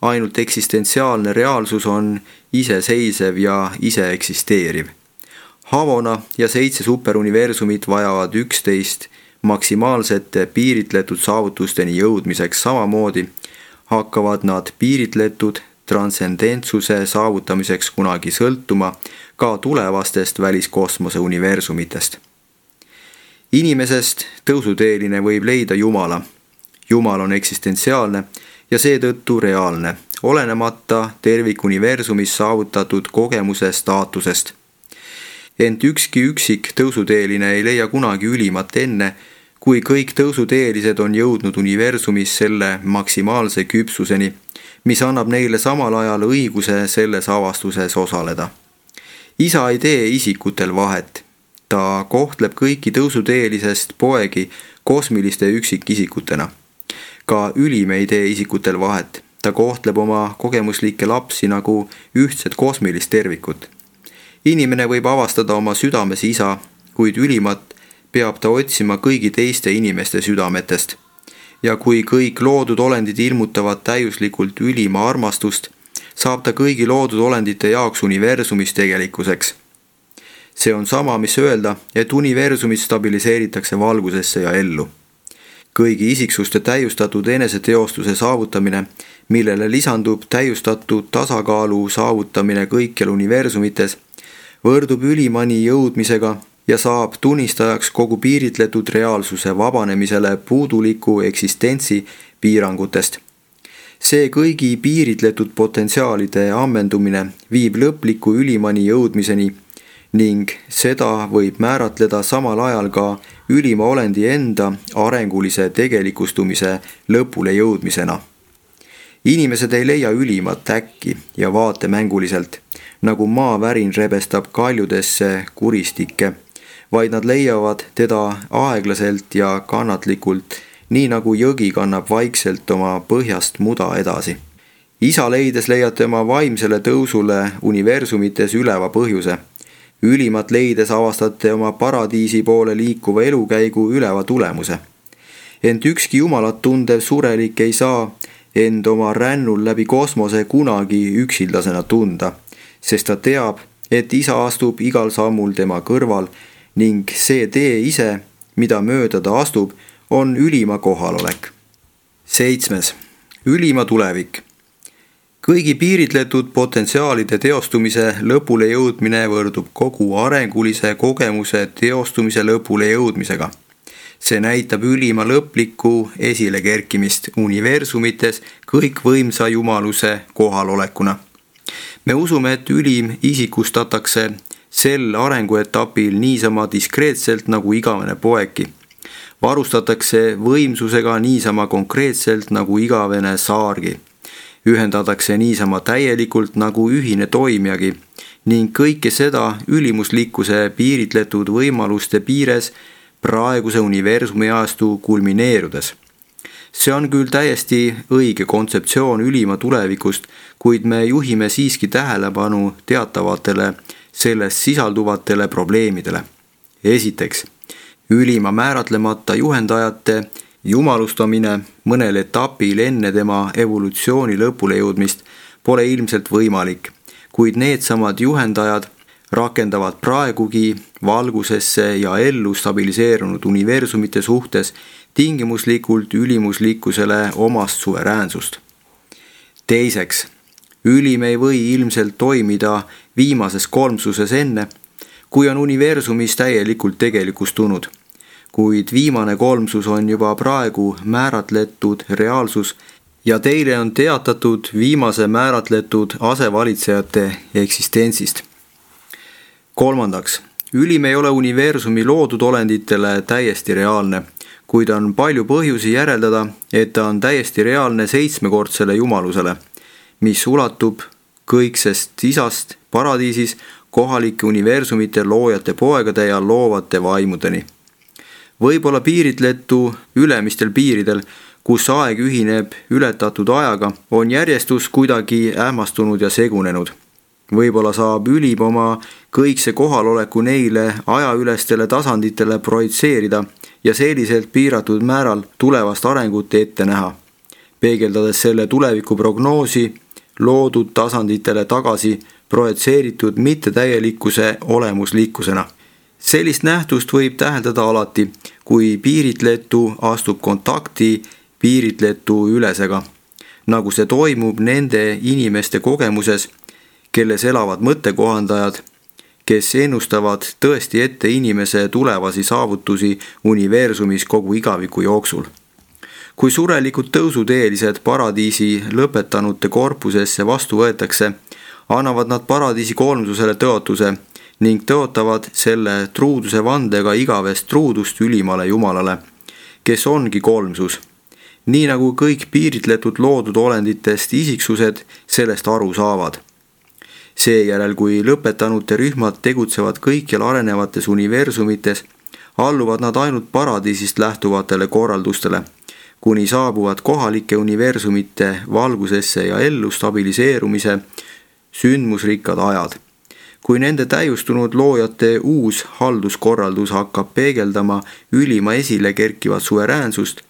Ainult eksistentsiaalne reaalsus on iseseisev ja ise eksisteeriv. Havana ja 7 superuniversumit vajavad üksteist maksimaalsete piiritletud saavutusteni jõudmiseks samamoodi, hakkavad nad piiritletud transcendentsuse saavutamiseks kunagi sõltuma ka tulevastest väliskosmose universumitest. Inimesest tõusuteeline võib leida Jumala. Jumal on eksistentsiaalne ja seetõttu reaalne, olenemata tervikuniversumis saavutatud kogemuse staatusest. Ent ükski üksik tõusuteeline ei leia kunagi ülimat enne, kui kõik tõusuteelised on jõudnud universumis selle maksimaalse küpsuseni, mis annab neile samal ajal õiguse selles avastuses osaleda. Isa ei tee isikutel vahet. Ta kohtleb kõiki tõusuteelisest poegi kosmiliste üksikisikutena. Ka ülim ei tee isikutel vahet. Ta kohtleb oma kogemuslikke lapsi nagu ühtset kosmilist tervikut. Inimene võib avastada oma südames isa, kuid ülimat peab ta otsima kõigi teiste inimeste südametest. Ja kui kõik loodud olendid ilmutavad täiuslikult ülima armastust, saab ta kõigi loodud olendite jaoks universumis tegelikkuseks. See on sama, mis öelda, et universumit stabiliseeritakse valgusesse ja ellu. Kõigi isiksuste täiustatud eneseteostuse saavutamine, millele lisandub täiustatud tasakaalu saavutamine kõikjal universumites, võrdub ülimani jõudmisega ja saab tunnistajaks kogu piiritletud reaalsuse vabanemisele puuduliku eksistentsi piirangutest. See kõigi piiritletud potentsiaalide ammendumine viib lõpliku ülimani jõudmiseni ning seda võib määratleda samal ajal ka ülima olendi enda arengulise tegelikustumise lõpule jõudmisena. Inimesed ei leia ülimat äkki ja vaatemänguliselt, nagu maavärin rebestab kaljudesse kuristikke, vaid nad leiavad teda aeglaselt ja kannatlikult, nii nagu jõgi kannab vaikselt oma põhjast muda edasi. Isa leides leiate oma vaimsele tõusule universumites üleva põhjuse. Ülimat leides avastate oma paradiisi poole liikuva elukäigu üleva tulemuse. Ent ükski jumalat tundev surelik ei saa end oma rännul läbi kosmose kunagi üksildasena tunda, sest ta teab, et isa astub igal sammul tema kõrval ning see tee ise, mida mööda ta astub, on ülima kohalolek. 7. Ülima tulevik. Kõigi piiritletud potentsiaalide teostumise lõpule jõudmine võrdub kogu arengulise kogemuse teostumise lõpule jõudmisega. See näitab ülima lõplikku esilekerkimist universumites kõikvõimsa jumaluse kohalolekuna. Me usume, et ülim isikustatakse sel arenguetapil niisama diskreetselt nagu igavene poegi. Varustatakse võimsusega niisama konkreetselt nagu igavene saargi. Ühendatakse niisama täielikult nagu ühine toimijagi ning kõike seda ülimuslikkuse piiritletud võimaluste piires praeguse universumi ajastu kulmineerudes. See on küll täiesti õige kontseptsioon ülima tulevikust, kuid me juhime siiski tähelepanu teatavatele selles sisalduvatele probleemidele. Esiteks, ülima määratlemata juhendajate jumalustamine mõnel etapil enne tema evolutsiooni lõpule jõudmist pole ilmselt võimalik, kuid needsamad juhendajad rakendavad praegugi valgusesse ja ellu stabiliseerunud universumite suhtes tingimuslikult ülimuslikkusele omast suveräänsust. Teiseks, ülim ei või ilmselt toimida viimases kolmsuses enne, kui on universumis täielikult tegelikustunud. Kuid viimane kolmsus on juba praegu määratletud reaalsus ja teile on teatatud viimase määratletud asevalitsejate eksistentsist. Kolmandaks, ülim ei ole universumi loodud olenditele täiesti reaalne, kuid on palju põhjusi järeldada, et ta on täiesti reaalne 7-kordsele jumalusele, mis ulatub kõiksest isast paradiisis kohalike universumite loojate poegade ja loovate vaimudeni. Võib-olla piiritletu ülemistel piiridel, kus aeg ühineb ületatud ajaga, on järjestus kuidagi ähmastunud ja segunenud. Võib-olla saab ülim oma kõikse kohaloleku neile ajaülestele tasanditele projitseerida ja selliselt piiratud määral tulevast arengut ette näha, peegeldades selle tuleviku prognoosi loodud tasanditele tagasi projitseeritud mittetäielikkuse olemuslikkusena. Sellist nähtust võib täheldada alati, kui piiritletu astub kontakti piiritletu ülesega, nagu see toimub nende inimeste kogemuses, kelles elavad mõttekohandajad, kes ennustavad tõesti ette inimese tulevasi saavutusi universumis kogu igaviku jooksul. Kui surelikud tõusuteelised paradiisi lõpetanute korpusesse vastu võetakse, annavad nad paradiisi kolmsusele tõotuse ning tõotavad selle truuduse vandega igavest truudust ülimale Jumalale, kes ongi kolmsus, nii nagu kõik piiritletud loodud olenditest isiksused sellest aru saavad. Seejärel, kui lõpetanute rühmad tegutsevad kõikjal arenevates universumites, alluvad nad ainult paradiisist lähtuvatele korraldustele, kuni saabuvad kohalike universumite valgusesse ja ellu stabiliseerumise sündmusrikkad ajad. Kui nende täiustunud loojate uus halduskorraldus hakkab peegeldama ülima esile kerkivat suveräänsust,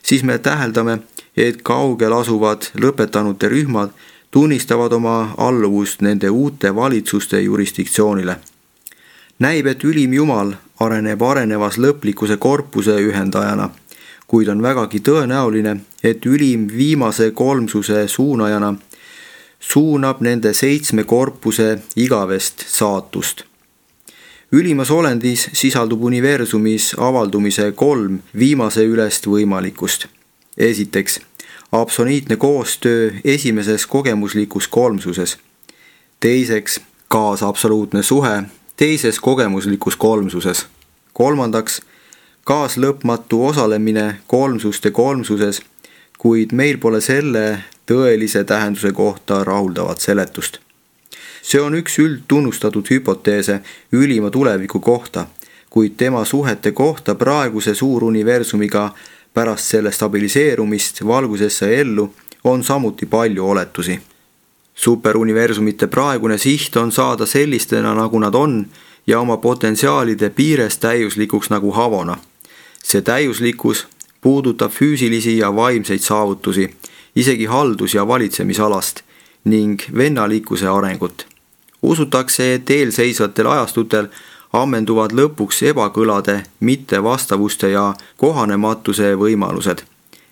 siis me täheldame, et kaugel asuvad lõpetanute rühmad tunnistavad oma alluvust nende uute valitsuste jurisdiktsioonile. Näib, et ülim Jumal areneb arenevas lõplikuse korpuse ühendajana, kuid on vägagi tõenäoline, et ülim viimase kolmsuse suunajana suunab nende 7 korpuse igavest saatust. Ülimas olendis sisaldub universumis avaldumise 3 viimase ülest võimalikkust. Esiteks, absoliitne koostöö esimeses kogemuslikus kolmsuses. Teiseks, kaasabsoluutne suhe teises kogemuslikus kolmsuses. Kolmandaks, kaaslõpmatu osalemine kolmsuste kolmsuses, kuid meil pole selle tõelise tähenduse kohta rahuldavat seletust. See on üks üldtunnustatud hüpoteese ülima tuleviku kohta, kuid tema suhete kohta praeguse suuruniversumiga pärast selle stabiliseerumist valgusesse ellu on samuti palju oletusi. Superuniversumite praegune siht on saada sellistena, nagu nad on, ja oma potentsiaalide piires täiuslikuks nagu Havona. See täiuslikkus puudutab füüsilisi ja vaimseid saavutusi, isegi haldus- ja valitsemisalast ning vennalikkuse arengut. Usutakse, et eelseisvatel ajastutel ammenduvad lõpuks ebakõlade, mittevastavuste ja kohanematuse võimalused.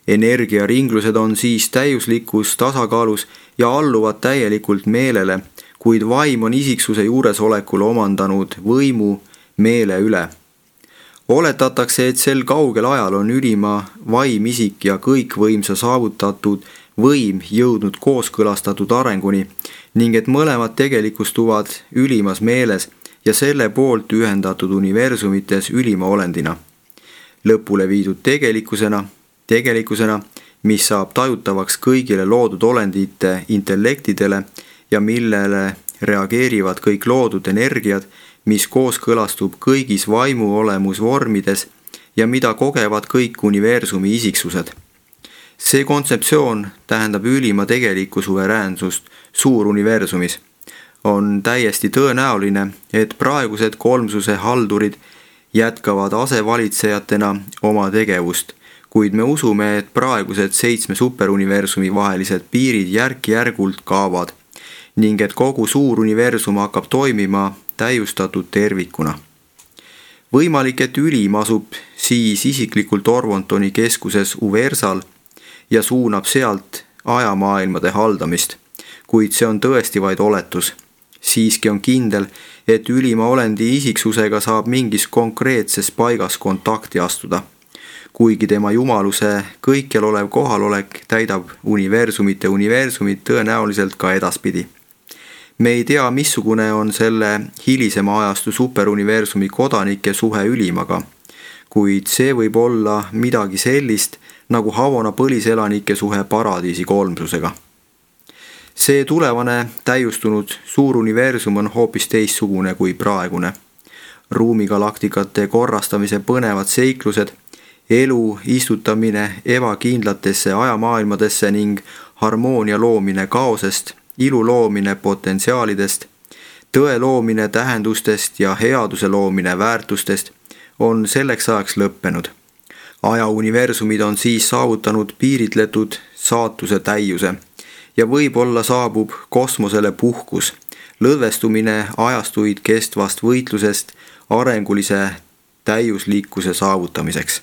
Energiaringlused on siis täiuslikus tasakaalus ja alluvad täielikult meelele, kuid vaim on isiksuse juuresolekul omandanud võimu meele üle. Oletatakse, et sel kaugel ajal on ülima vaimisik ja kõikvõimsa saavutatud võim jõudnud kooskõlastatud arenguni ning et mõlemad tegelikustuvad ülimas meeles ja selle poolt ühendatud universumites ülima olendina. Lõpule viidud tegelikkusena, mis saab tajutavaks kõigile loodud olendite intellektidele ja millele reageerivad kõik loodud energiad, mis kooskõlastub kõigis vaimu olemusvormides ja mida kogevad kõik universumi isiksused. See kontseptsioon tähendab ülima tegelikku suveräänsust suuruniversumis. On täiesti tõenäoline, et praegused kolmsuse haldurid jätkavad asevalitsejatena oma tegevust, kuid me usume, et praegused 7 superuniversumi vahelised piirid järk-järgult kaovad ning et kogu suuruniversum hakkab toimima täiustatud tervikuna. Võimalik, et ülim asub siis isiklikult Orvontoni keskuses Uversal ja suunab sealt ajamaailmade haldamist, kuid see on tõesti vaid oletus. Siiski on kindel, et ülima olendi isiksusega saab mingis konkreetses paigas kontakti astuda, kuigi tema jumaluse kõikjal olev kohalolek täidab universumit tõenäoliselt ka edaspidi. Me ei tea, missugune on selle hilisema ajastu superuniversumi kodanike suhe ülimaga, kuid see võib olla midagi sellist, nagu Havona põliselanike suhe paradiisi kolmsusega. See tulevane täiustunud suuruniversum on hoopis teistsugune kui praegune. Ruumigalaktikate korrastamise põnevad seiklused, elu istutamine ebakindlatesse ajamaailmadesse ning harmoonia loomine kaosest, ilu loomine potentsiaalidest, tõe loomine tähendustest ja headuse loomine väärtustest on selleks ajaks lõppenud. Ajauniversumid on siis saavutanud piiritletud saatuse täiuse ja võib-olla saabub kosmosele puhkus, lõdvestumine ajastuid kestvast võitlusest arengulise täiuslikkuse saavutamiseks.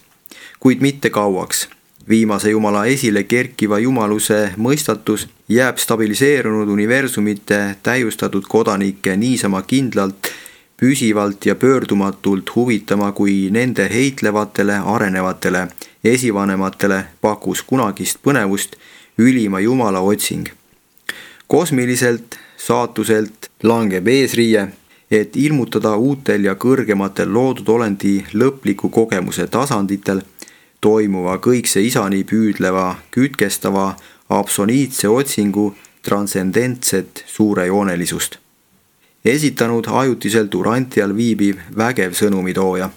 Kuid mitte kauaks. Viimase Jumala esile kerkiva jumaluse mõistatus jääb stabiliseerunud universumite täiustatud kodanikke niisama kindlalt, püsivalt ja pöördumatult huvitama, kui nende heitlevatele, arenevatele esivanematele pakkus kunagist põnevust ülima Jumala otsing. Kosmiliselt saatuselt langeb eesriie et ilmutada uutel ja kõrgematel loodud olendi lõpliku kogemuse tasanditel toimuva kõikse isani püüdleva, kütkestava, absoliitse otsingu transcendentset suurejoonelisust. Esitanud ajutiselt Urantial viibiv vägev sõnumitooja.